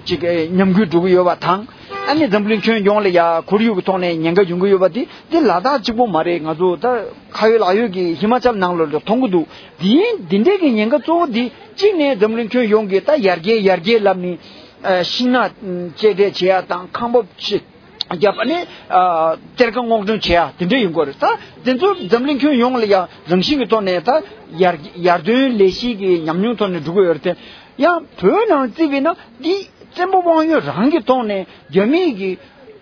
ཅིག་ཉམས་རྒུད་འགྲོ་གི་ཡོད་པ་དང་། ཨ་ནི་འཛམ་གླིང་ཁྱོན་ཡོངས་ལ་ཡ་ཁོར་ཡུག་གི་ཐོག་ནས་ཉེན་ཁ་ཡོང་གི་ཡོད་པ་དེ་དེ་ལ་དྭགས་གཅིག་པོ་མ་རེད། ང་ཚོ་ད་ཁ་ཡོད་ལག་ཡོད་ཀྱི་ཧི་མ་ཅལ་ནང་ལོགས་ལ་མཐོང་གི་འདུག་དེ་འདི་འདྲས་ཀྱི་ཉེན་ཁ་གཙོ་བོ་འདི་གཅིག་ནས་འཛམ་གླིང་ཁྱོན་ཡོངས་ཀྱི་ད་ཡར་རྒྱས་ཡར་རྒྱས་ལབ་ནས་ཤིང་ནགས་གཅེས་སྤྲས་བྱེད་ཡ་དང་ཁང་པ་ཕྱི། རྒྱབ་ནས་གཏེར་ཁ་སྔོག་འདོན་བྱེད་ཡ་དེ་འདྲ་ཡིན་དགོས་རེད། ད་དེ་ཚོ་འཛམ་གླིང་ཁྱོན་ཡོངས་ལ་ཡང་རང་བཞིན་གྱི་ཐོག་ནས་ད་ཡར་ཡར་ཐོན་ལས་གཞི་གི་ཉམས་མྱོང་ཐོག་ནས་འགྲོ་གི་ཡོད་རེད་དེ། ཡང་བོད་ནང་བརྩིས་པས་ན་འདི་བཙན་པོ་དབང་ཡོད་རང་གི་ཐོག་ནས་རྒྱ་མིའི་གི་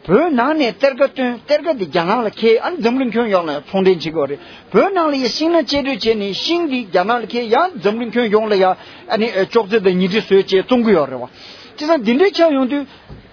བོད་ནང་ནས་གཏེར་ཁ་བཏོན། གཏེར་ཁ་དེ་རྒྱ་ནག་ལ་ཁྱེར། ཨ་ནི་འཛམ་གླིང་ཁྱོན་ཡོངས་ལ་ཚོང་འབྲེལ་བྱེད་དགོས་རེད། བོད་ནང་ལ་ཡ་ཤིང་སྣ་གཅལ་སྡུད་བྱས་ནས་ཤིང་དེ་རྒྱ་ནག་ལ་ཁྱེར། ཡང་འཛམ་གླིང་ཁྱོན་ཡོངས་ལ་ཡ་ཨ་ནི་ཨ་ཅོག་ཙེ་དང་ཉལ་ཁྲི་བཟོས་བྱས་བཙོང་གི་ཡོད་རེད་བ། བྱས་ཙང་འདི་འདྲའི་ཆགས་ཡོང་དུས་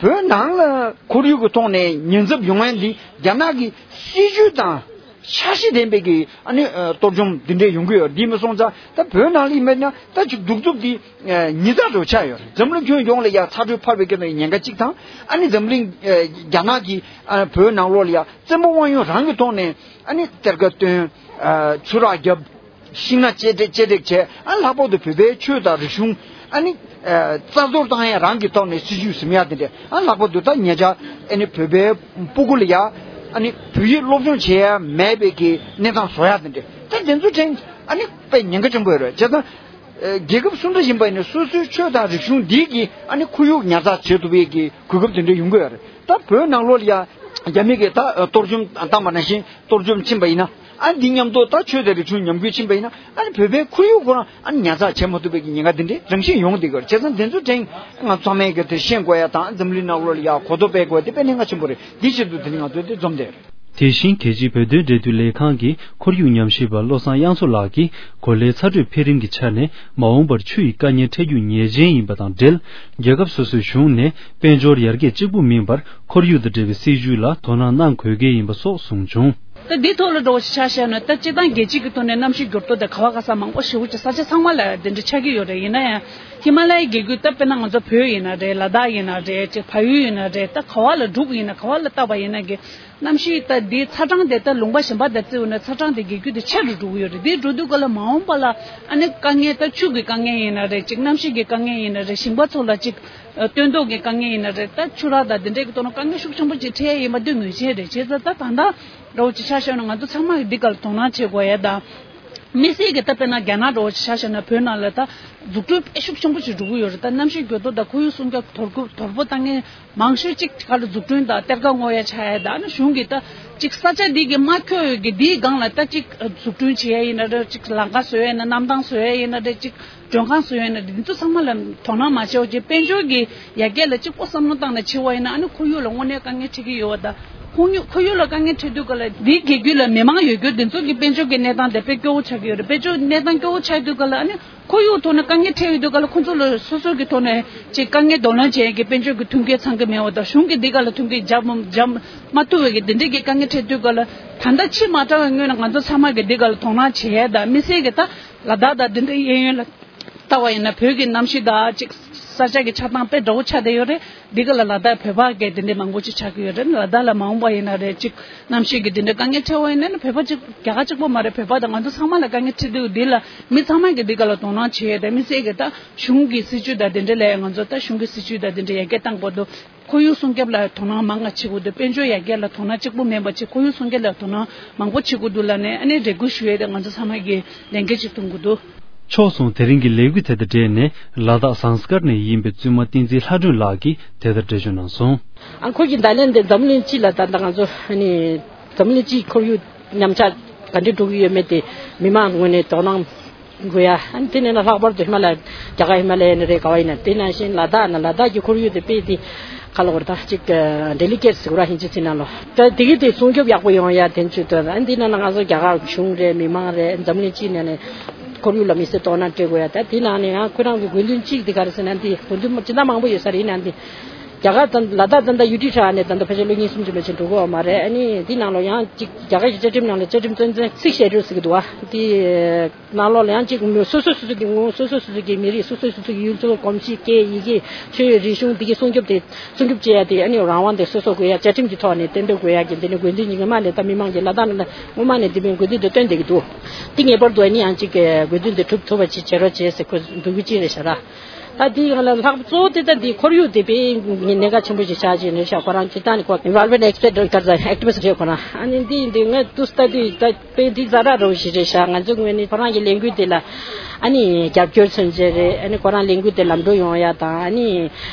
བོད་ནང་ལ་ཁོར་ཡུག་གི་ཐོག་ནས་ཉེན་ཚབས་ཡོང་ཡ་འདི་རྒྱ་ནག་གི་སྲིད་ཇུས་དང་འཆར་གཞི་ལྡན་པའི་གི་ཨ་ནི་ཨ་གཏོར་བཅོམ་འདི་འདྲས་ཡོང་གི་ཡོད། འདི་མི་སོང་ཙང་ད་བོད་ནང་ལ་ཡིན་པ་ན་ད་ཅིག་གདུག་རྩུབ་འདི་ཨ་ཉེན་ཚབས་འདྲ་བོ་ཆགས་ཡོད་རེད། འཛམ་གླིང་ཁྱོན་ཡོངས་ལ་ཡ་ཚ་དྲོད་འཕར་བའི་གི་ཉེན་ཁ་གཅིག་དང་། ཨ་ནི་འཛམ་གླིང་ཨ་རྒྱ་ནག་གིས་ཨ་བོད་ནང་ལོགས་ལ་ཡ་བཙན་པོ་དབང་ཡོད་རང་གི་ཐོག་ནས་ཨ་ནི་གཏེར་ཁ་བཏོན། ཨ་ཆུ་རགས་བརྒྱབ། ཤིང་སྣ་གཅལ་སྒྲིག་གཅལ་སྒྲིག་བྱས། ཨ་ལྷག་པར་དུ་བོད་པའི་ཆོས་དང་རིག་གཞུང་ཨ་ནི་ཨ་རྩ་གཏོར་བཏང་ཡ་རང་གི་ཐོག་ནས་སྲིད་ཇུས་ཟིན་ཡ་དེ་འདྲས། ཨ་ལྷག་པར་དུ་ད་ཉེ་ཆར་ཨ་ནི་བོད་པའི་སྤུ་གུ་ལ་ཡ་ཨ་ནི་བོད་ཡིག་སློབ་སྦྱོང་བྱེད་ཡ་མེད་པའི་གི་གནས་སྟངས་བཟོ་ཡ་དེ་འདྲས། ད་དེ་ཚོ་དྲན་ཨ་ནི་དཔེ་ཉེན་ཁ་ཆེན་པོ་ཡོད་རེད། བྱས་ཙང་ཨ་རྒྱལ་ཁབ་སུ་འདྲ་ཡིན་པ་ཡིན་ན་སོ་སོའི་ཆོས་དང་རིག་གཞུང་འདི་གིས་ཨ་ནི་ཁོར་ཡུག་ཉར་ཚགས་བྱེད་ཐུབ་པའི་གི་གོ་སྐབས་དེ་འདྲས་ཡོང་གི་ཡོད་རེད། ད་བོད་ནང་ལོགས་ལ་ཡ་རྒྱ་མི་གིས་ད་གཏོར་བཅོམ་བཏང་པ་ནང་བཞིན་གཏོར་བཅོམ་ཕྱིན་པ་ཡིན་ན། ཨ་འདི་མཉམ་དུ་ད་ཆོས་དང་རིག་གཞུང་ཉམས་རྒུད་ཕྱིན་པ་ཡིན་ན། ཨ་ནི་བོད་པའི་ཁོར་ཡུག་ཁོ་རང་ཨ་ནི་ཉར་ཚགས་བྱེད་མ་ཐུབ་པའི་གི་ཉེན་ཁ་འདི་འདྲའི་རང་བཞིན་ཡོང་བསྡད་ཀྱི་ཡོད་རེད། བྱས་ཙང་འདི་ཚོ་དྲན་ང་ཚང་མས་གི་དེ་ཤེས་དགོས་ཡ་དང་། འཛམ་གླིང་ནང་ལོགས་ལ་ཡ་གོ་རྟོགས་སྤེལ་དགོས་ཡ་དེ་དཔེ་གནད་འགག་ཆེན་པོ་རེད། འདི་ཆེད་དུ་དེ་ནི་ང་ཚོས་དེ་འཛོམས་བསྡད་རེད། དེ་བཞིན་རྒྱལ་སྤྱིའི་བོད་དོན་འབྲེལ་མཐུད་ལས་ཁང་གིས་ཁོར་ཡུག་ཉམས་ཞིབ་པ་བློ་བཟང་དབྱངས་མཚོ་ལགས་ཀྱིས་གོ་ལའི་ཚ་དྲོད་འཕེལ་རིམ་གྱི་ཆ་ནས་མ་འོངས་པར་ཆུ་ཡི་དཀའ་ངལ་འཕྲད་རྒྱུ་ངེས་ཅན་ཡིན་པ་དང་འབྲེལ། རྒྱལ་ཁབ་སོ་སོའི་གཞུང་ནས་དཔལ་འབྱོར་ཡར་རྒྱས་གཅིག་པུ་མིན་པར་ཁོར་ཡུག་དང་འབྲེལ་བའི་སྲིད་ཇུས་ལ་དོ་སྣང་གནང་དགོས་གལ་ཡིན་པ་སོགས་གསུངས་བྱུང་། ད་འདི་ཐོག་ལ་འགྲོ་བ་ཞིག་ཆ་བཞག་ན། ད་སྤྱིར་བཏང་རྒྱལ་སྤྱི་གི་ཐོག་ནས་གནམ་གཤིས་འགྱུར་ལྡོག་དང་ག་བ་ག་ས་མང་པོ་ཞེ་པོ་ཅིག་ས་ཆ་ཚང་མ་ལ་དེ་འདྲ་ཆགས་ཀྱི་ཡོད་རེད། ཡིན་ན་ཡང་ཧི་མ་ལ་ཡའི་རྒྱལ་ཁུལ། ད་དཔེར་ན་ང་ཚོ་བོད་ཡིན་ན་རེད། ལ་དྭགས་ཡིན་ན་རེད། ཅིག་ཕ་ཡུལ་ཡིན་ན་རེད། ད་ག་བ་ལ་འགྲོ་གི་ཡིན་ན། ག་བ་ལ་བལྟས་པ་ཡིན་ན་གི་གནམ་གཤིས་ད་འདི་ཚ་གྲང་དེ་ད་ལུང་པ་གཞན་པ་དང་བརྩིས་པ་ཡིན་ན་ཚ་གྲང་དེ་རྒྱལ་ཁུལ་དེ་ཆེ་རུ་འགྲོ་གི་ཡོད་རེད། འདི་འགྲོ་དུས་ག་ལ་མ་འོངས་པ་ལ་ཨ་ནི་དཀའ་ངལ། ད་ཆུ་གི་དཀའ་ངལ་ཡིན་ན་རེད། ཅིག་གནམ་གཤིས་ཀྱི་དཀའ་ངལ་ཡིན་ན་རེད། ཞིང་པ་ཚོ་ལ་ཅིག་ཨ་སྟོན་ཐོག་གི་དཀའ་ངལ་ཡིན་ན་རེད། ད་ཆུ་རགས་དང་དེ་འདྲས་ཀྱི་ཐོག་ནས་དཀའ་ངལ་ཤུགས་ཆེན་པོ་ཅིག་འཕྲད་ཡ་ཡིན་པ་འདི་ངེས་ཅན་རེད། བྱས་ཙང་ད་ད་ལྟ་འདྲ་བོ་ཅིག་ཆ་བཞག་ན་ང་ཚོ་ཚང་མ་གིས་འདི་སྒང་ལ་དོ་སྣང་བྱེད་དགོས་ཡ་དང་། དམིགས་བསལ་གྱི་ད་དཔེར་ན་རྒྱ་ནག་འདྲ་བོ་ཅིག་ཆ་བཞག་ན་བོད་ནང་ལ་ད་འཛུགས་སྐྲུན་དཔེ་ཤུགས་ཆེན་པོ་ཅིག་འགྲོ་གི་ཡོད་རེད། ད་གནམ་གཤིས་འགྱུར་ལྡོག་དང་ཁོར་ཡུག་སྲུང་སྐྱོབ་དོ་ཁུར་དོ་པོ་བཏང་མཁན་མང་ཤོས་ཅིག་ག་ལ་འཛུགས་སྐྲུན་དང་གཏེར་ཁ་སྔོག་ཡ་ཆགས་ཡ་དང་། ཨ་ནི་གཞུང་གིས་ད་ཅིག་ས་ཆ་འདི་གི་མ་ཁྱོད་ཀྱི་འདིའི་སྒང་ལ་ད་ཅིག་འཛུགས་སྐྲུན་བྱེད་ཡ་ཡིན་ན་རེད། ཅིག་ལམ་ཁ་བཟོ་ཡ་ཡིན་ན། གནམ་ཐང་བཟོ་ཡ་ཡིན་ན་རེད། ཅིག་མགྲོན་ཁང་བཟོ་ཡ་ཡིན་ན་རེད། འདི་ཚོ་ཚང་མ་ལ་དོ་སྣང་མ་བྱས་པ་བྱས། དཔལ་འབྱོར་གྱི་ཡར་རྒྱས་ལ་གཅིག་པོ་བསམ་བློ་བཏང་ནས་བྱེད་པ་ཡིན་ན། ཨ་ནི་ཁོར་ཡུག་ལ་དངོས་གནས་དཀའ་ངལ་འཕྲད་ཀྱི་ཡོད་པ་དང་། ཁོར་ཡུག་ཁོར་ཡུག་ལ་དཀའ་ངལ་འཕྲད་དུས་ག་ལ་འདིའི་རྒྱལ་ཁུལ་ལ་མི་མང་ཡོད་རྒྱུ་འདི་ཚོ་གི་དཔལ་འབྱོར་གྱི་གནས་སྟངས་དེ་དཔེ་སྐྱོ་བོ་ཆགས་ཀྱི་ཡོད་རེད། དཔལ་འབྱོར་གནས་སྟངས་སྐྱོ་བོ་ཆགས་དུས་ག་ལ་ཨ་ནི་ཁོར་ཡུག་ཐོག་ནས་དཀའ་ངལ་འཕྲད་ཡོད་དུས་ག་ལ་ཁོ་ཚོ་ལ་སོ་སོ་གི་ཐོག་ནས་ཅིག་དཀའ་ངལ་གདོང་ལེན་བྱེད་ཡས་ཀྱི་དཔལ་འབྱོར་གྱི་མཐུན་རྐྱེན་ཚང་གི་མེད་པ་དང་། གཞུང་གིས་འདི་ག་ལ་མཐུན་རྐྱེན་སྦྱར་སྦྱར་མ་ཐུབ་པའི་གི་འདི་འདྲའི་གི་དཀའ་ངལ་འཕྲད་དུས་ག་ལ། ད་ལྟ་ཕྱི་མ་དྲག་པའི་སྔོན་ལ་ང་ཚོ་ཚང་མ་གིས་འདི་ག་ལ་དོ་སྣང་བྱེད་ཡས་དང་། དམིགས་བསལ་གྱི་ད་ལ་དྭགས་དང་འདི་འདྲའི་གཡས་གཡོན་ལ་ལྟ་བ་ཡིན་ན་བོད་ཀྱི་གནམ་གཤིས་དང་ཅིག་ས་ཆ་གི་ཆགས་སྟངས་དཔེ་འདྲ་བོ་ཆགས་བསྡད་ཡོད་རེད། འདི་ག་ལ་ལ་དྭགས་བོད་པ་གི་དེ་འདྲའི་མང་པོ་ཅིག་ཆགས་ཀྱི་ཡོད་རེད། ལ་དྭགས་ལ་མ་འོངས་པ་ཡིན་ན་རེད། ཅིག་གནམ་གཤིས་ཀྱི་དེ་འདྲའི་དཀའ་ངལ་འཕྲད་པ་ཡིན་ན་ནི་བོད་པ་ཅིག་རྒྱ་གར་གཅིག་པོ་མ་རེད། བོད་པ་དང་ང་ཚོ་ཚང་མ་ལ་དཀའ་ངལ་འཕྲད་དུས། འདི་ལ་མི་ཚང་མ་གིས་འདི་ག་ལ་དོ་སྣང་བྱེད་ཡས་དང་། དམིགས་བསལ་གྱི་ད་གཞུང་གི་སྲིད་ཇུས་དང་དེ་འདྲ་ལ་ང་ཚོ་ད་གཞུང་གི་སྲིད་ཇུས་དང་དེ་འདྲ་ཡར་རྒྱས་གཏང་དགོས་འདུག་ཁོར་ཡུག་སྲུང་སྐྱོབ་ལ་དོ་སྣང་མང་ང་བྱེད་དགོས་འདུག་དཔལ་འབྱོར་ཡར་རྒྱས་ལ་དོ་སྣང་གཅིག་པུ་མིན་པ་ཅིག་ཁོར་ཡུག་སྲུང་སྐྱོབ་ལ་དོ་སྣང་མང་པོ་བྱེད་དགོས་འདུག་ལབ་ནས་ཨ་ནི་རེ་སྐུལ་ཞུ་ཡས་དེ་ང་ཚོ་ཚང་མ་གིས་ལས་འགན་ཅིག་འཐུང་དགོས་འདུག་ཕྱོགས་མཚུངས། དེ་རིང་གི་ལས་འགུལ་དེ་དང་འབྲེལ་ནས་ལ་དྭགས་ཟངས་དཀར་ནས་ཡིན་པའི་བཙུན་མ་བསྟན་འཛིན་ལྷ་སྒྲོན་ལགས་ཀྱིས་དེ་ལྟར་འགྲེལ་བརྗོད་གནང་སོང་། ཨ་ཁོ་གི་ད་ལན་དེ་འཛམ་གླིང་སྤྱི་ལ་ད་ལྟ་ང་ཚོ་ཨ་ནི་འཛམ་གླིང་སྤྱིའི་ཁོར་ཡུག་ཉམས་ཆག་ག་འདྲ་འགྲོ་གི་ཡོད་མེད་དེ་མི་མང་ངོས་ནས་དོ་སྣང་དགོས་ཡ། ཨ་ནི་དེ་ནས་ན་ལྷག་པར་དུ་ཧི་མ་ལ་ཡ། རྒྱ་གར་ཧི་མ་ལ་ཡ་ནས་རེད། ག་བ་ཡིན་ན། དེ་ནང་བཞིན་ལ་དྭགས་ན་ལ་དྭགས་ཀྱི་ཁོར་ཡུག་དེ་དཔེ་དེ་ག་ལ་བར་ད་ཅིག་ཌེ་ལི་ཀེཊ་ཟེར་བ་ཧིན་ཇི་ཚིག་ནང་ལོ། ད་དེ་གི་དེ་སྲུང་སྐྱོབ་ཡག་པོ་ཡོང་ཡ་དེ་ཚོ་དོན། ཨ་ནི་དེ་ནང་ན་ང་ཚོ་རྒྱ་གར་གཞུང་རེད། མི་མང་རེད། འཛམ་གླིང་སྤྱི་ནས་ནས་ཁོར་ཡུག་ལ་མི་སེར་དོ་སྣང་སྤྲད་དགོས་ཡ། ད་དེ་ནང་ནས་ཡང་ཁོ་རང་གི་དགོས་འདུན་གཅིག་དེ་ག་རེ་ཟེར་ན། འདི་དགོས་འདུན་ཇི་ལྟར་མང་པོ་ཡོད་ས་རེད། ཡིན་ན་འདི་རྒྱ་གར་དང་ལ་དྭགས་ད་ལྟ་ཡུ་ཊི་ཧྲ་ནས་ད་ལྟ་ཕལ་ཆེར་ལོ་གཉིས་གསུམ་ཅིག་མ་ཕྱིན་འགྲོ་གི་ཡོད་མ་རེད། ཨ་ནི་འདི་ནང་ལོ་ཡང་ཅིག་རྒྱ་གར་གྱི་བཅའ་ཁྲིམས་ནང་ལ་བཅའ་ཁྲིམས་རྩ་འཛིན་ཚིག་ཞལ་འགྲོ་ཟེར་གྱི་འདུག་བ། འདི་ནང་ལོགས་ལ་ཡང་ཅིག་སོ་སོ་སོ་སོ་གི་ངོ་། སོ་སོ་སོ་སོ་གི་མི་རིགས། སོ་སོ་སོ་སོ་གི་ཡུལ་གྲུ། གོམས་གཤིས། སྐད། ཡི་གེ། ཆོས། རིག་གཞུང་འདི་གའི་སྲུང་སྐྱོབ་དེ་སྲུང་སྐྱོབ་བྱེད་ཡ་དེ་ཨ་ནི་རང་དབང་དེ་སོ་སོ་དགོས་ཡ། བཅའ་ཁྲིམས་ཀྱི་ཐོག་ནས་གཏན་འབེབས་དགོས་ཡ་གི་འདི་ནི་དགོས་འདུན་ཉི་མ་ནས་ད་མི་མང་གིས་ལ་དྭགས་ནང་ལ་སྔོན་མ་ནས་འདི་མིན་དགོས་འདུན་དེ་བཏོན་བསྡད་ཀྱི་འདུག་འདི་ངེས་པར་དུ་ཨ་ནི་ཡང་ཅིག་གི་དགོས་འདུན་དེ་འགྲུབ་ཐུབ་པ་ཅིག་བྱེད་རོགས་བྱེད་ཟེར་ཁོ་འདུག་གི་ཅིག་རེད་ཤག་ར། ད་འདི་ཡང་ལ་ལྷག་གཙོ་བོ་དེ་ད་འདི་ཁོར་ཡུག་དེ་དཔེ་གནད་འགག་ཆེན་པོ་ཞིག་ཆགས་ཀྱི་རེད་ཤག་ཁོ་རང་སྤྱིར་བཏང་ནས་ཁོ་environment expert་ག་རེ་ཟེར། activist་རེད་ཁོ་རང་། ཨ་ནི་འདི་འདི་ངས་དུས་ད་དུས་ད་དཔེ་འདི་ཛ་དྲག་འདྲ་བོ་ཞིག་རེད་ཤག་ང་ཚོ་ངོས་ནས་ཁོ་རང་གི་ལས་འགུལ་དེ་ལ་ཨ་ནི་རྒྱབ་སྐྱོར་མཚོན་བྱེད་རེད། ཨ་ནི་ཁོ་རང་ལས་འགུལ་དེ་ལམ་འགྲོ་ཡོང་ཡ་དང་། ཨ་ནི་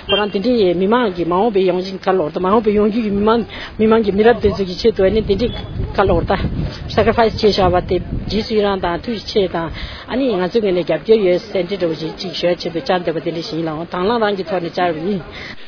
ཁོ་རང་དེ་འདྲའི་མི་མང་གི་མ་འོངས་པའི་ཡོང་སྦྱིན་ག་ལོར་དང་། མ་འོངས་པའི་ཡོང་རྒྱུ་གི་མི་མང་མི་མང་གི་མི་རབས་དེ་ཚོ་གི་ཆེད་དུ་ཨ་ནི་དེ་འདྲའི་ག་ལོར་ད་sacrifice་བྱས་བཞག་པ་དེ་རྗེས་སུ་ཡི་རང་དང་ཐུགས་རྗེ་ཆེ་དང་། ཨ་ནི་ང་ཚོའི་ངོས་ནས་རྒྱབ་སྐྱོར་ཡོད་ཟེར་འདྲི་འདྲ་བོ་ཞིག་ཅིག་ཞུ་ཡ་ཆེད་དུ་བཅར་འདོད་པ་དེ་འདྲ་ཞིག་ཡིན་ལགས། དང་བླངས་རང་གི་ཐོག་ནས་བཅར་བ་ཡིན།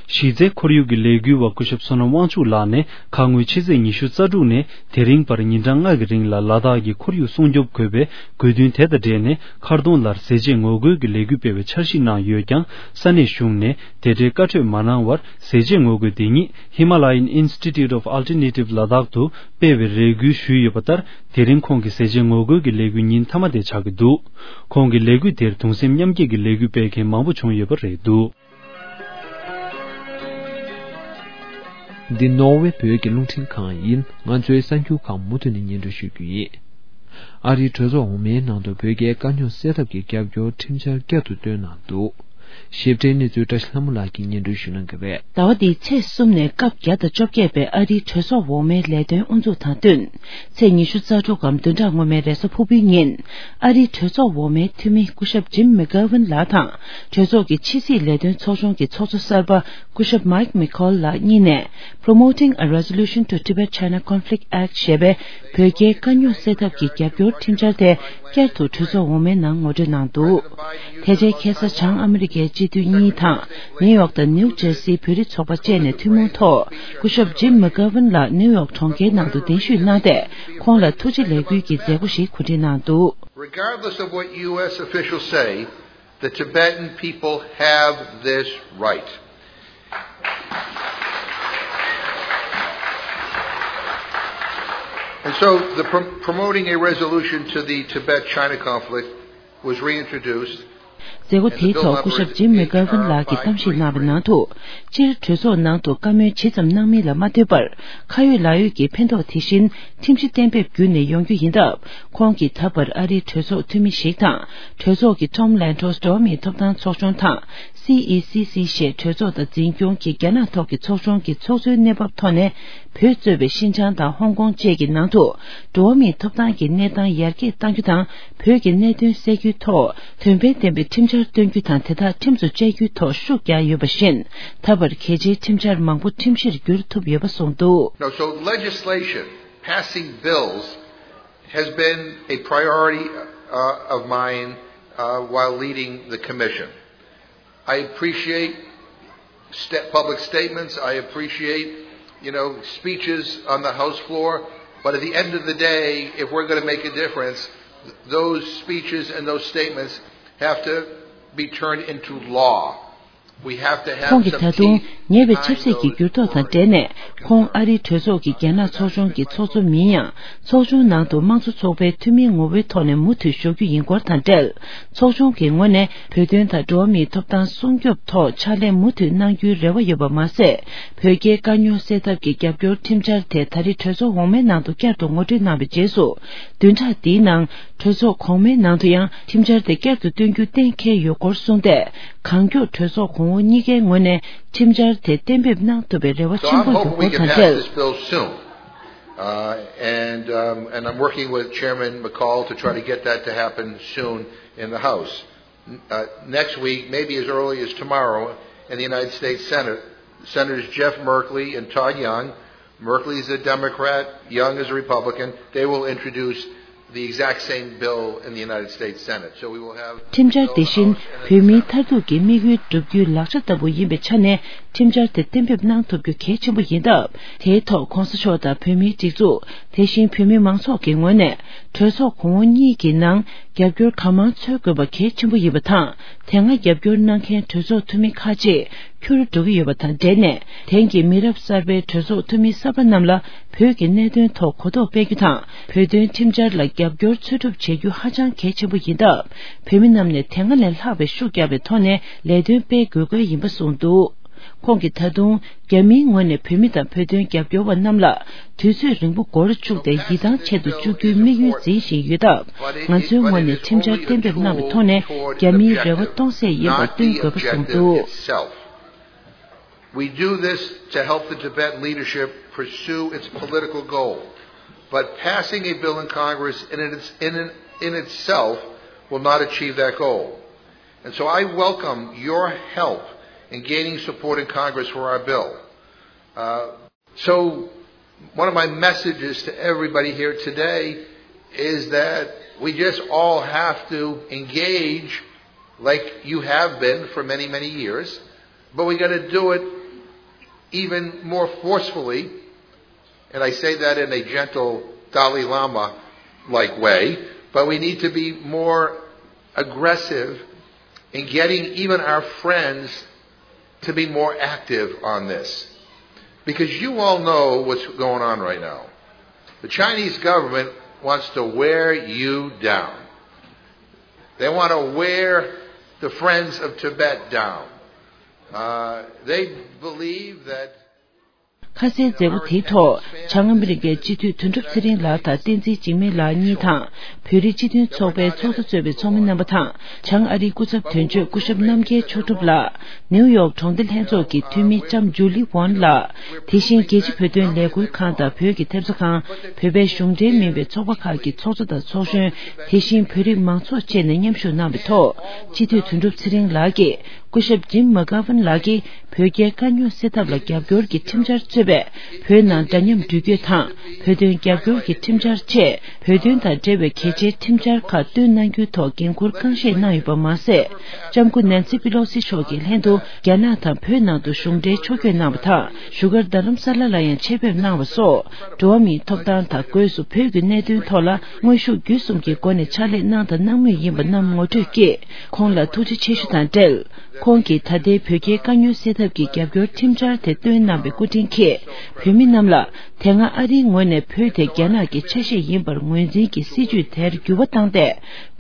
གཞི་རྩའི་ཁོར་ཡུག་གི་ལས་འགུལ་བ་སྐུ་ཞབས་བསོད་ནམས་དབང་ཕྱུག་ལགས་ནས་ཁ་སྔོན་ཕྱི་ཚེས་ཉི་ཤུ་རྩ་དྲུག་ནས་དེ་རིང་བར་ཉིན་གྲངས་ལྔ་གི་རིང་ལ་ལ་དྭགས་ཀྱི་ཁོར་ཡུག་སྲུང་སྐྱོབ་དགོས་པའི་དགོས་འདུན་དེ་དང་འབྲེལ་ནས་མཁར་གདོང་ལར་ཟས་བཅད་ངོ་རྒོལ་གྱི་ལས་འགུལ་སྤེལ་བའི་འཆར་གཞི་གནང་ཡོད་ཀྱང་། ས་གནས་གཞུང་ནས་དེ་འབྲེལ་བཀའ་འཁྲོལ་མ་གནང་བར། ཟས་བཅད་ངོ་རྒོལ་དེ་ཉིད་Himalayan Institute of Alternative Ladakh དུ་སྤེལ་བའི་རེ་སྐུལ་ཞུས་ཡོད་པ་ལྟར། དེ་རིང་ཁོང་གི་ཟས་བཅད་ངོ་རྒོལ་གྱི་ལས་འགུལ་ཉིན་མཐའ་མ་དེ་ཆགས་ཀྱི་འདུག་ཁོང་གི་ལས་འགུལ་དེར་གདུང་སེམས་མཉམ་སྐྱེད་ཀྱི་ལས་འགུལ་སྤེལ་མཁན་མང་པོ་བྱུང་ཡོད་པ་རེད་འདུག་འདི་ནོར་ཝེ་བོད་ཀྱི་རླུང་འཕྲིན་ཁང་ཡིན། ང་ཚོའི་གསར་འགྱུར་ཁག་མུ་མཐུད་ནས་སྙན་སྒྲོན་ཞུ་རྒྱུ་ཡིན། ཨ་རིའི་གྲོས་ཚོགས་འོག་མའི་ནང་དུ་བོད་རྒྱའི་དཀའ་རྙོག་སེལ་ཐབས་ཀྱི་རྒྱབ་སྐྱོར་ཁྲིམས་འཆར་བསྐྱར་དུ་བཏོན་གནང་འདུག་ཞིབ་ཕྲའི་གནས་ཚུལ་བཀྲ་ཤིས་ལྷ་མོ་ལགས་ཀྱིས་སྙན་སྒྲོན་ཞུ་གནང་གི་རེད། ཟླ་བ་འདིའི་ཚེས་གསུམ་ནས་སྐབས་བརྒྱ་དང་བཅོ་བརྒྱད་པའི་ཨ་རིའི་གྲོས་ཚོགས་འོག་མའི་ལས་དོན་དབུ་འཛུགས་དང་བསྟུན། ཚེས་ཉི་ཤུ་རྩ་དྲུག་གམ་བདུན་ཕྲག་སྔོན་མའི་རེས་གཟའ་ཕུར་བུའི་ཉིན། ཨ་རིའི་གྲོས་ཚོགས་འོག་མའི་འཐུས་མི་སྐུ་ཞབས་ཇིམ་མེག་གྷ་ཝིན་ལགས་དང་། གྲོས་ཚོགས་ཀྱི་ཕྱི་སྲིད་ལས་དོན་ཚོགས་ཆུང་གི་ཚོགས་གཙོ་གསར་པ་སྐུ་ཞབས་མཱིག་མེ་ཁོལ་ལགས་གཉིས་ནས། Promoting a Resolution to Tibet-China Conflict Act ཞེས་པའི་བོད་རྒྱའི་དཀའ་རྙོག་སེལ་ཐབས་ཀྱི་རྒྱབ་སྐྱོར་ཁྲིམས་འཆར་དེ་བསྐྱར་དུ་གྲོས་ཚོགས་འོག་མའི་ནང་ངོ་སྤྲོད་གནང་འདུག་དེ་རྗེས་ཁ་སང་བྱང་ཨ་མི་རི་ཀའི་སྤྱི་འཐུས་གཉིས་དང་ནིའུ་ཡོག་དང་ནིའུ་ཇར་སིའི་བོད་རིགས་ཚོགས་པ་བཅས་ནས་ཐུན་མོང་ཐོག་སྐུ་ཞབས་ཇིམ་མེག་གྷ་ཝིན་ལགས་ནིའུ་ཡོག་གྲོང་ཁྱེར་ནང་དུ་གདན་ཞུས་གནང་སྟེ། ཁོང་ལ་ཐུགས་རྗེ་ལེགས་འབུལ་གྱི་མཛད་སྒོ་ཞིག་གོ་སྒྲིག་གནང་འདུག Regardless of what U S officials say, the Tibetan people have this right. And so the prom- promoting a resolution to the Tibet-China conflict was reintroduced. མཛད་སྒོ་དེའི་ཐོག་སྐུ་ཞབས་ཇིམ་མེ་གྷ་ཝིན་ལགས་ཀྱིས་གཏམ་བཤད་གནང་བའི་ནང་དུ། སྤྱིར་གྲོས་ཚོགས་ནང་དུ་བཀའ་མོལ་ཇི་ཙམ་གནང་མིན་ལ་མ་ལྟོས་པར། ཁ་ཡོད་ལག་ཡོད་ཀྱི་ཕན་ཐོགས་དེ་བཞིན་ཁྲིམས་གཞི་གཏན་འབེབས་བརྒྱུད་ནས་ཡོང་རྒྱུ་ཡིན་སྟབས། ཁོང་གིས་ད་བར་ཨ་རིའི་གྲོས་ཚོགས་འཐུས་མི་ཞིག་དང་། གྲོས་ཚོགས་ཀྱི་Tom Lantos འགྲོ་བ་མིའི་ཐོབ་ཐང་ཚོགས་ཆུང་དང་། C E C C ཞེས་གྲོས་ཚོགས་དང་འཛིན་སྐྱོང་གི་རྒྱ་ནག་ཐོག་གི་ཚོགས་ཆུང་གི་ཚོགས་གཙོའི་གནས་བབ་ཐོག་ནས། བོད་གཙོས་པའི་ཤིན་ཅང་དང་ཧོང་ཀོང་བཅས་ཀྱི་ནང་དུ་འགྲོ་བ་མིའི་ཐོབ་ཐང་གི་གནས་སྟངས་ཡར་རྒྱས་གཏང་རྒྱུ་དང་། བོད་ཀྱི་གནད་དོན་སེལ་རྒྱུའི་ཐོག་དོན་ཕན་ལྡན་པའི་ཁྲིམས་འཆར་བཏོན་རྒྱུ་དང་། དེ་དག་ཁྲིམས་སུ་བཅའ་རྒྱུའི་ཐོག་ཤུགས་རྒྱག་ཡོད་པ་བཞིན། ད་བར་གལ་ཆེའི་ཁྲིམས་འཆར་མང་པོ་ཁྲིམས་གཞིར་བསྒྱུར་ཐུབ་ཡོད་པ་གསུངས་འདུག Now, so legislation, passing bills, has been a priority uh, of mine uh, while leading the commission. I appreciate st- public statements. I appreciate, you know, speeches on the House floor. But at the end of the day, if we're going to make a difference, those speeches and those statements have to be turned into law. We have to have ཁོང་གིས་ད་དུང་ཉེ་བའི་ཆབ་སྲིད་ཀྱི་འགྱུར་ལྡོག་དང་འབྲེལ་ནས། ཁོང་ཨ་རིའི་གྲོས་ཚོགས་ཀྱི་རྒྱ་ནག་ཚོགས་ཆུང་གི་ཚོགས་གཙོ་མིན་ཡང་། ཚོགས་ཆུང་ནང་དུ་དམངས་གཙོ་ཚོགས་པའི་འཐུས་མིའི་ངོ་བོའི་ཐོག་ནས་མུ་མཐུད་བཞུགས་རྒྱུ་ཡིན་སྐོར་དང་འབྲེལ། ཚོགས་ཆུང་གི་ངོས་ནས་བོད་དོན་དང་འགྲོ་བ་མིའི་ཐོབ་ཐང་སྲུང་སྐྱོབ་ཐོག་ཕྱག་ལས་མུ་མཐུད་གནང་རྒྱུའི་རེ་བ་ཡོད་པ་མ་ཟད། བོད་རྒྱའི་དཀའ་རྙོག་སེལ་ཐབས་ཀྱི་རྒྱབ་སྐྱོར་ཁྲིམས་འཆར་དེ་ད་རེས་གྲོས་ཚོགས་འོག་མའི་ནང་དུ་བསྐྱར་དུ་ངོ་སྤྲོད་གནང་བའི་རྗེས་སུ། བདུན་ཕྲག་འདིའི་ནང་གྲོས་ཚོགས་གོང་མའི་ནང་དུ་ཡང་ཁྲིམས་འཆར་དེ་བསྐྱར་དུ་བཏོན་རྒྱུ་གཏན་འཁེལ་ཡོད་སྐོར་གསུངས་ཏེ། གང་མགྱོགས་གྲོས་ཚོགས་གོང་འོག་གཉིས་ཀའི་ངོས་ནས་ཁྲིམས་འཆར་དེ་གཏན་འབེབས་གནང་ཐུབ་པའི་རེ་བ་So ཆེན་I'm པོ་ཡོད་hoping we སྐོར་can དང་pass འབྲེལ། this bill soon. Uh, and, um, and I'm working with Chairman McCaul to try to get that to happen soon in the House. Uh, next week, maybe as early as tomorrow, in the United States Senate, Senators Jeff Merkley and Todd Young, Merkley is a Democrat, Young is a Republican, they will introduce the exact same bill in the United States Senate. So we will have ཁྲིམས་འཆར་དེ་བཞིན་བོད་མིའི་མཐར་ཐུག་གི་དམིགས་ཡུལ་བསྒྲུབ་རྒྱུའི་ལག་ཆ་ལྟ་བུ་ཡིན་པའི་ཆ་ནས། ཁྲིམས་འཆར་དེ་གཏན་འབེབས་གནང་ཐུབ་རྒྱུ་གལ་ཆེན་པོ་ཡིན་སྟབས། དེའི་ཐོག་གོང་ས་མཆོག་དང་བོད་མིའི་སྒྲིག་འཛུགས། དེ་བཞིན་བོད་མི་མང་ཚོགས་ཀྱི་ངོས་ནས་གྲོས་ཚོགས་གོང་འོག་གཉིས་ཀྱི་ནང་རྒྱབ་སྐྱོར་གང་མང་འཚོལ་དགོས་པ་གལ་ཆེན་པོ་ཡིན་པ་དང་། དེ་སྔ་རྒྱབ་སྐྱོར་གནང་མཁན་གྲོས་ཚོགས་འཐུས་མི་ཁག་ཅིག་འཁྱུར་འགྲོ་གི་ཡོད་པ་དང་འབྲེལ་ནས། དེང་གི་མི་རབས་གསར་པའི་གྲོས་ཚོགས་འཐུས་མི་གསར་པ་རྣམས་ལ་བོད་ཀྱི་གནད་དོན་ཐོག་གོ་རྟོགས་སྤེལ་རྒྱུ་དང་། བོད་དོན་ཁྲིམས་འཆར་ལ་རྒྱབ་སྐྱོར་འཚོལ་སྒྲུབ་བྱེད་རྒྱུ་ཧ་ཅང་གལ་ཆེན་པོ་ཡིན་སྟབས། བོད་མི་རྣམས་ནས་དེ་སྔ་ལས་ལྷག་པའི་ཤུགས་བརྒྱབ་པའི་ཐོག་ནས་ལས་དོན་སྤེལ་དགོས་སྐོར་ཡིན་པ་གསུངས་འདུག་ཁོང་གིས་ད་དུང་རྒྱ་མིའི་ངོས་ནས་བོད་མི་དང་བོད་དོན་རྒྱབ་སྐྱོར་བ་རྣམས་ལ་དུས་ཚོད་རིང་པོ་འགོར་བཅུག་སྟེ་ཡིད་ཐང་ཆད་དུ་བཅུག་རྒྱུའི་དམིགས་ཡུལ་འཛིན་བཞིན་ཡོད་སྟབས། ང་ཚོའི་ངོས་ནས་ཁྲིམས་འཆར་གཏན་འབེབས་གནང་བའི་ཐོག་ནས་རྒྱ་མིའི་རེ་བ་སྟོང་ཟད་ཡིན་པར་སྟོན་དགོས་པ་གསུངས་འདུག We do this to help the Tibetan leadership pursue its political goal. But passing a bill in Congress in, its, in, in itself will not achieve that goal. And so I welcome your help in gaining support in Congress for our bill. Uh, so, one of my messages to everybody here today is that we just all have to engage like you have been for many, many years, but we got to do it even more forcefully, and I say that in a gentle Dalai Lama like way, but we need to be more aggressive in getting even our friends to be more active on this. Because you all know what's going on right now. The Chinese government wants to wear you down. They want to wear the Friends of Tibet down. Uh, they believe that ཁ་གསལ་མཛད་སྒོ་དེའི་ཐོག་བྱང་ཨ་མི་རི་ཀའི་སྤྱི་འཐུས་དོན་གྲུབ་ཚེ་རིང་ལགས་དང་བསྟན་འཛིན་འཇིགས་མེད་ལགས་གཉིས་དང་། བོད་རིགས་སྤྱི་མཐུན་ཚོགས་པའི་ཚོགས་གཙོ་གཙོས་པའི་ཚོགས་མི་རྣམ་པ་དང་། བྱང་ཨ་རིའི་སྐུ་ཚབ་དོན་གཅོད་སྐུ་ཞབས་རྣམ་རྒྱལ་མཆོག་གྲུབ་ལགས། ནིའུ་ཡོག་གྲོང་སྡེ་ལྷན་ཚོགས་ཀྱི་འཐུས་མི་ལྕམ་ཇུ་ལི་ཝོན་ལགས། དེ་བཞིན་རྒྱལ་སྤྱི་བོད་དོན་ལས་འགུལ་ཁང་དང་བོད་ཀྱི་ཐེབས་རྩ་ཁང་། བོད་པའི་གཞུང་འབྲེལ་མིན་པའི་ཚོགས་པ་ཁག་གི་ཚོགས་གཙོ་དང་ཚོགས་གཞོན། དེ་བཞིན་བོད་རིགས་མང་ཚོགས་བཅས་ནས་མཉམ་ཞུགས་གནང་བའི་ཐོག་སྤྱི་འཐུས་དོན་གྲུབ་ཚེ་རིང་ལགས་ཀྱིས། སྐུ་ཞབས་ཇིམ་མ་ཀ་ཝན་ལགས་ཀྱིས་བོད་རྒྱའི་དཀའ་རྙོག་སེལ་ཐབས་ལ་རྒྱབ་སྐྱོར་གྱི་ཁྲིམས་འཆར་གཙོས་པའི་བོད་ནང་འདྲ་མཉམ་འགྲུལ་སྐྱོད་དང་བོད་དོན་རྒྱབ་སྐྱོར་གྱི་ཁྲིམས་འཆར་བཅས་བོད་དོན་དང་འབྲེལ་བའི་གལ་ཆེའི་ཁྲིམས་འཆར་ཁག་བཏོན་གནང་རྒྱུའི་ཐོག་འགན་འཁུར་རྐང་བཞེས་གནང་ཡོད་པ་མ་ཟད། ལྕམ་སྐུ་ནན་སི་པི་ལོ་སི་མཆོག་གི་ལྷན་དུ་རྒྱ་ནག་དང་བོད་ནང་དུ་གཞུང་འབྲེལ་ཕྱོགས་བསྐྱོད་གནང་བ་དང་བཞུགས་སྒར་རྡ་རམ་ས་ལ་ལ་ཡང་ཆེད་ཕེབས་གནང་བ་སོགས་འགྲོ་བ་མིའི་ཐོབ་ཐང་དང་སྒོས་སུ་བོད་ཀྱི་གནད་དོན་ཐོག་ལ་དངོས་ཤུགས་བརྒྱུད་གསུམ་གྱི་སྒོ་ནས་ཕྱག་ལས་གནང་དང་གནང་མུས་ཡིན་པ་རྣམས་ངོ་སྤྲོད་ཀྱིས། ཁོང་ལ་ཐུགས་རྗེ་ཆེ་ཞུ་དང་འབྲེལ། ཁོང་གིས་ད་ལྟའི་བོད་རྒྱའི་དཀའ་རྙོག་སེལ་ཐབས་ཀྱི་རྒྱབ་སྐྱོར་ཁྲིམས་འཆར་དེ་བཏོན་གནང་བའི་སྐུ་དྲིན་གྱིས། བོད་མི་རྣམས་ལ་དེ་སྔ་ཨ་རིའི་ངོས་ནས་བོད་དེ་རྒྱ་ནག་གི་ཆ་ཤས་ཡིན་པར་ངོས་འཛིན་གྱི་སྲིད་བྱུས་དེར་འགྱུར་བ་བཏང་སྟེ།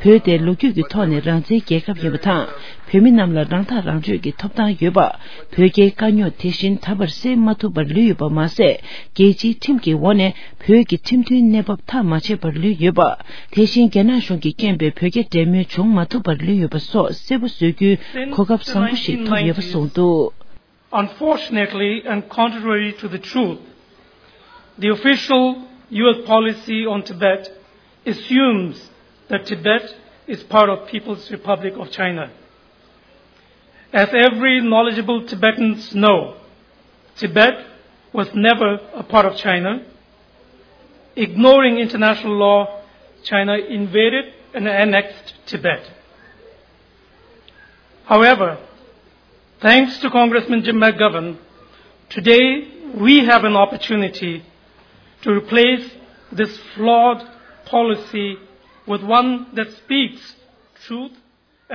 བོད་དེ་ལོ་རྒྱུས་ཀྱི་ཐོག་ནས་རང་བཙན་རྒྱལ་ཁབ་ཡིན་པ་དང་། བོད་མི་རྣམས་ལ་རང་ཐག་རང་གཅོད་ཀྱི་ཐོབ་ཐང་ཡོད་པ། བོད་རྒྱའི་དཀའ་རྙོག་དེ་བཞིན་ད་བར་སེལ་མ་ཐུབ་པར་ལུས་ཡོད་པ་མ་ཟད། རྒྱལ་སྤྱིའི་ཁྲིམས་ཀྱི་འོག་ནས། བོད་ཀྱི་ཁྲིམས་མཐུན་གནས་བབ་མཐའ་མ་ཆད་པར་ལུས་ཡོད་པ། དེ་བཞིན་རྒྱ་ནག་གཞུང་གིས་རྐྱེན་པས་བོད་རྒྱ་འབྲེལ་མོལ་བྱུང་མ་ཐུབ་པར་ལུས་ཡོད་པ་སོགས་གསལ་པོ་བཟོ་རྒྱུའི་གོ་སྐབས་བཟང་པོ་ཞིག་ཐོབ་ཡོད་པ་གསུངས་འདུག Unfortunately, and contrary to the truth, the official U S policy on Tibet assumes that Tibet is part of People's Republic of China. As every knowledgeable Tibetans know, Tibet was never a part of China. Ignoring international law, China invaded and annexed Tibet. However, thanks to Congressman Jim McGovern, today we have an opportunity to replace this flawed policy with one that speaks truth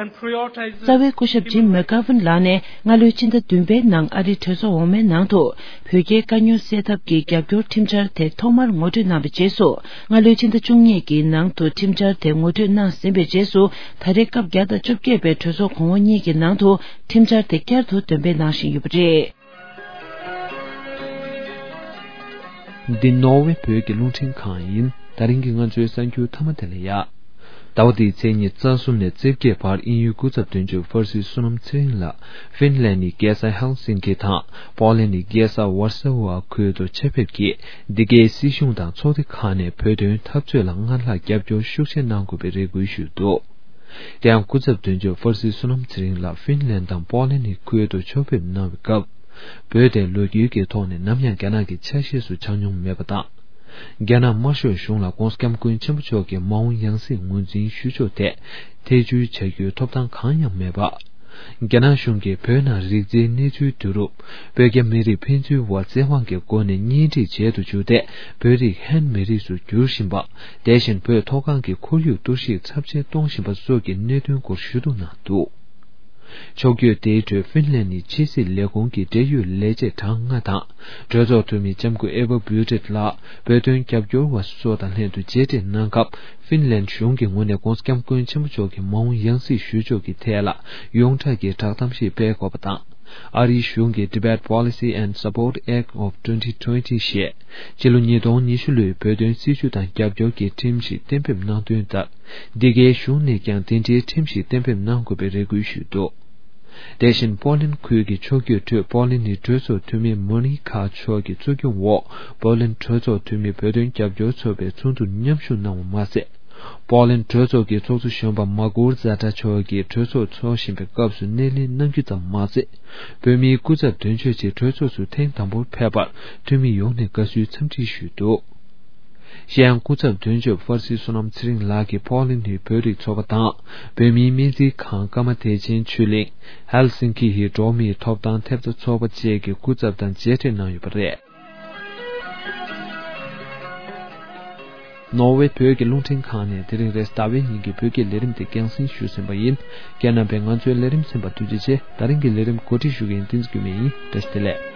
and prioritizes རྩ་བའི་སྐུ་ཞབས་ཇིམ་མེ་ཀ་ཝན་ལགས་ནས་སྔ་ལོའི་ཕྱི་ཟླ་བདུན་པའི་ནང་ཨ་རིའི་གྲོས་ཚོགས་འོག་མའི་ནང་དུ་བོད་རྒྱའི་དཀའ་རྙོག་སེལ་ཐབས་ཀྱི་རྒྱབ་སྐྱོར་ཁྲིམས་འཆར་དེ་ཐོག་མར་ངོ་སྤྲོད་གནང་བའི་རྗེས་སུ། སྔ་ལོའི་ཕྱི་ཟླ་བཅུ་གཉིས་ཀྱི་ནང་དུ་ཁྲིམས་འཆར་དེ་ངོ་སྤྲོད་གནང་ཟིན་པའི་རྗེས་སུ། ད་རེས་སྐབས་བརྒྱ་དང་བཅོ་བརྒྱད་པའི་གྲོས་ཚོགས་གོང་འོག་གཉིས་ཀྱི་ནང་དུ་ཁྲིམས་འཆར་དེ་བསྐྱར་དུ་འདོན་སྤེལ་གནང་བཞིན་ཡོད་པ་རེད། འདི་ནོར་ཝེ་བོད་ཀྱི་རླུང་འཕྲིན་ཁང་ཡིན། ད་རིང་གི་ང་ཚོའི་གསར་འགྱུར་མཐའ་མ་དེ་ལ་ཡ། ཟླ་བ་འདིའི་ཚེས་ཉི་ཤུ་རྩ་གསུམ་ནས་རྩིབ་བརྒྱད་བར་དབྱིན་ཡུལ་སྐུ་ཚབ་དོན་གཅོད་ཧྥར་སི་བསོད་ནམས་ཚེ་རིང་ལགས་ཧྥིན་ལན་ནི་རྒྱལ་ས་ཧེལ་སིན་ཀི་དང་པོ་ལན་ནི་རྒྱལ་ས་ཝར་སོ་ཝ་ཁུལ་དུ་ཆེད་ཕེབས་ཀྱིས་འདི་གའི་སྲིད་གཞུང་དང་ཚོགས་སྡེ་ཁག་ནས་བོད་དོན་འཐབ་རྩོད་ལ་སྔར་ལྷག་རྒྱབ་སྐྱོར་ཤུགས་ཆེ་གནང་དགོས་པའི་རེ་སྐུལ་ཞུས་འདུག་དེ་ཡང་སྐུ་ཚབ་དོན་གཅོད་ཧྥར་སི་བསོད་ནམས་ཚེ་རིང་ལགས་ཧྥིན་ལན་དང་པོ་ལན་ནི་ཁུལ་དུ་ཕྱོགས་ཕེབས་གནང་བའི་སྐབས། བོད་དེ་ལོ་རྒྱུས་ཀྱི་ཐོག་ནས་ནམ་ཡང་རྒྱ་ནག་གི་ཆ་ཤས་སུ་ཆགས་མྱོང་མེད་པ་དང་། རྒྱ་ནག་དམར་ཤོག་གཞུང་ལ་༧གོང་ས་༧སྐྱབས་མགོན་ཆེན་པོ་མཆོག་གི་མ་འོངས་ཡང་སྲིད་ངོས་འཛིན་ཞུ་ཕྱོགས་ཐད་ཐེ་བྱུས་བྱ་རྒྱུའི་ཐོབ་ཐང་གང་ཡང་མེད་པ། རྒྱ་ནག་གཞུང་གིས་བོད་ནང་རིག་རྩལ་གནས་ཚུལ་བསྡུ་རུབ། བོད་རྒྱ་མི་རིགས་ཕན་ཚུན་དབར་བཙན་དབང་གི་སྒོ་ནས་གཉེན་སྒྲིག་བྱེད་དུ་འཇུག་སྟེ། བོད་རིགས་ཧན་མི་རིགས་སུ་འགྱུར་བཞིན་པ། དེ་བཞིན་བོད་མཐོ་སྒང་གི་ཁོར་ཡུག་གཏོར་བཤིག་ཚབས་ཆེན་གཏོང་བཞིན་པ་སོགས་ཀྱི་གནད་དོན་སྐོར་ཞུ་གཏུག་གནང་འདུག་ཕྱོགས་བསྐྱོད་དེའི་ཁྲོད་ཧྥིན་ལན་ནི་ཕྱི་སྲིད་ལས་ཁུངས་ཀྱི་འབྲེལ་ཡོད་ལས་བྱེད་གྲངས་ལྔ་དང་། གྲོས་ཚོགས་འཐུས་མི་ལྕམ་སྐུ་ཨེ་བ་བུ་ཏྲེད་ལགས་བོད་དོན་རྒྱབ་སྐྱོར་བ་སོགས་དང་ལྷན་དུ་མཇལ་འཕྲད་གནང་སྐབས། ཧྥིན་ལན་གཞུང་གི་ངོས་ནས་༧གོང་ས་༧སྐྱབས་མགོན་ཆེན་པོ་མཆོག་གི་མ་འོངས་ཡང་སྲིད་ཞུ་ཕྱོགས་ཀྱི་ཐད་ལ་ཡོངས་གྲགས་ཀྱི་བསྒྲགས་གཏམ་ཞིག་སྤེལ་དགོས་པ་དང་། ཨ་རིའི་གཞུང་གིས་Tibet Policy and Support Act of twenty twenty ཞེས་ཕྱི་ལོ་ཉིས་སྟོང་ཉི་ཤུ་ལོའི་བོད་དོན་སྲིད་བྱུས་དང་རྒྱབ་སྐྱོར་གྱི་ཁྲིམས་ཤིག་གཏན་འབེབས་གནང་དོན་ལྟར། འདི་གའི་གཞུང་ནས་ཀྱང་དེ་འབྲེལ་ཁྲིམས་ཤིག་གཏན་འབེབས་གནང་དགོས་པའི་རེ་སྐུལ་ཞུས་འདུག་དེ་བཞིན་པོ་ལན་ཁུལ་གྱི་ཕྱོགས་བསྐྱོད་ཁྲོད་པོ་ལན་ནི་གྲོས་ཚོགས་འཐུས་མི་མོ་ནི་ཁ་མཆོག་གི་གཙོ་སྐྱོང་འོག་པོ་ལན་གྲོས་ཚོགས་འཐུས་མི་བོད་དོན་རྒྱབ་སྐྱོར་ཚོགས་པའི་ཚོགས་འདུར་མཉམ་ཞུགས་གནང་བ་མ་ཟད། པོ་ལན་གྲོས་ཚོགས་ཀྱི་ཚོགས་གཙོ་གཞོན་པ་མ་གུར་ཛ་ཏྲ་མཆོག་གིས་གྲོས་ཚོགས་འཚོགས་བཞིན་པའི་སྐབས་སུ་སྣེ་ལེན་གནང་རྒྱུ་ཙམ་མ་ཟད། བོད་མིའི་སྐུ་ཚབ་དོན་གཅོད་ཅིག་གྲོས་ཚོགས་སུ་ཐེངས་དང་པོར་ཕེབས་པར་འཐུས་མི་ཡོངས་ནས་དགའ་བསུའི་འཚམས་འདྲི་ཞུས་འདུག་གཞན་སྐུ་ཚབ་དོན་གཅོད་ཕར་སི་བསོད་ནམས་ཚེ་རིང་ལགས་ཀྱིས་པོ་ལན་ཌིའི་བོད་རིགས་ཚོགས་པ་དང་། བོད་མིའི་སྨན་རྩིས་ཁང་། ཀརྨ་བདེ་ཆེན་ཆོས་གླིང་། ཧེལ་སིན་ཀི་ཡི་འགྲོ་བ་མིའི་ཐོབ་ཐང་ཐེབས་རྩ་ཚོགས་པ་བཅས་ཀྱི་སྐུ་ཚབ་དང་མཇལ་འཕྲད་གནང་ཡོད་པ་རེད། ནོར་ཝེ་བོད་ཀྱི་རླུང་འཕྲིན་ཁང་ནས་དེ་རིང་རེས་གཟའ་ཟླ་བའི་ཉིན་གྱི་བོད་སྐད་ལས་རིམ་དེ་རྒྱང་སྲིང་ཞུས་ཟིན་པ་ཡིན། རྒན་རྣམ་པས་ང་ཚོའི་ལས་རིམ་གསན་པར་ཐུགས་རྗེ་ཆེ། ད་རིང་གི་ལས་རིམ་གོ་སྒྲིག་ཞུ་མཁན་བསྟན་འཛིན་སྐྱོན་མེད་ཡིན། བཀྲ་ཤིས་བདེ་ལེགས།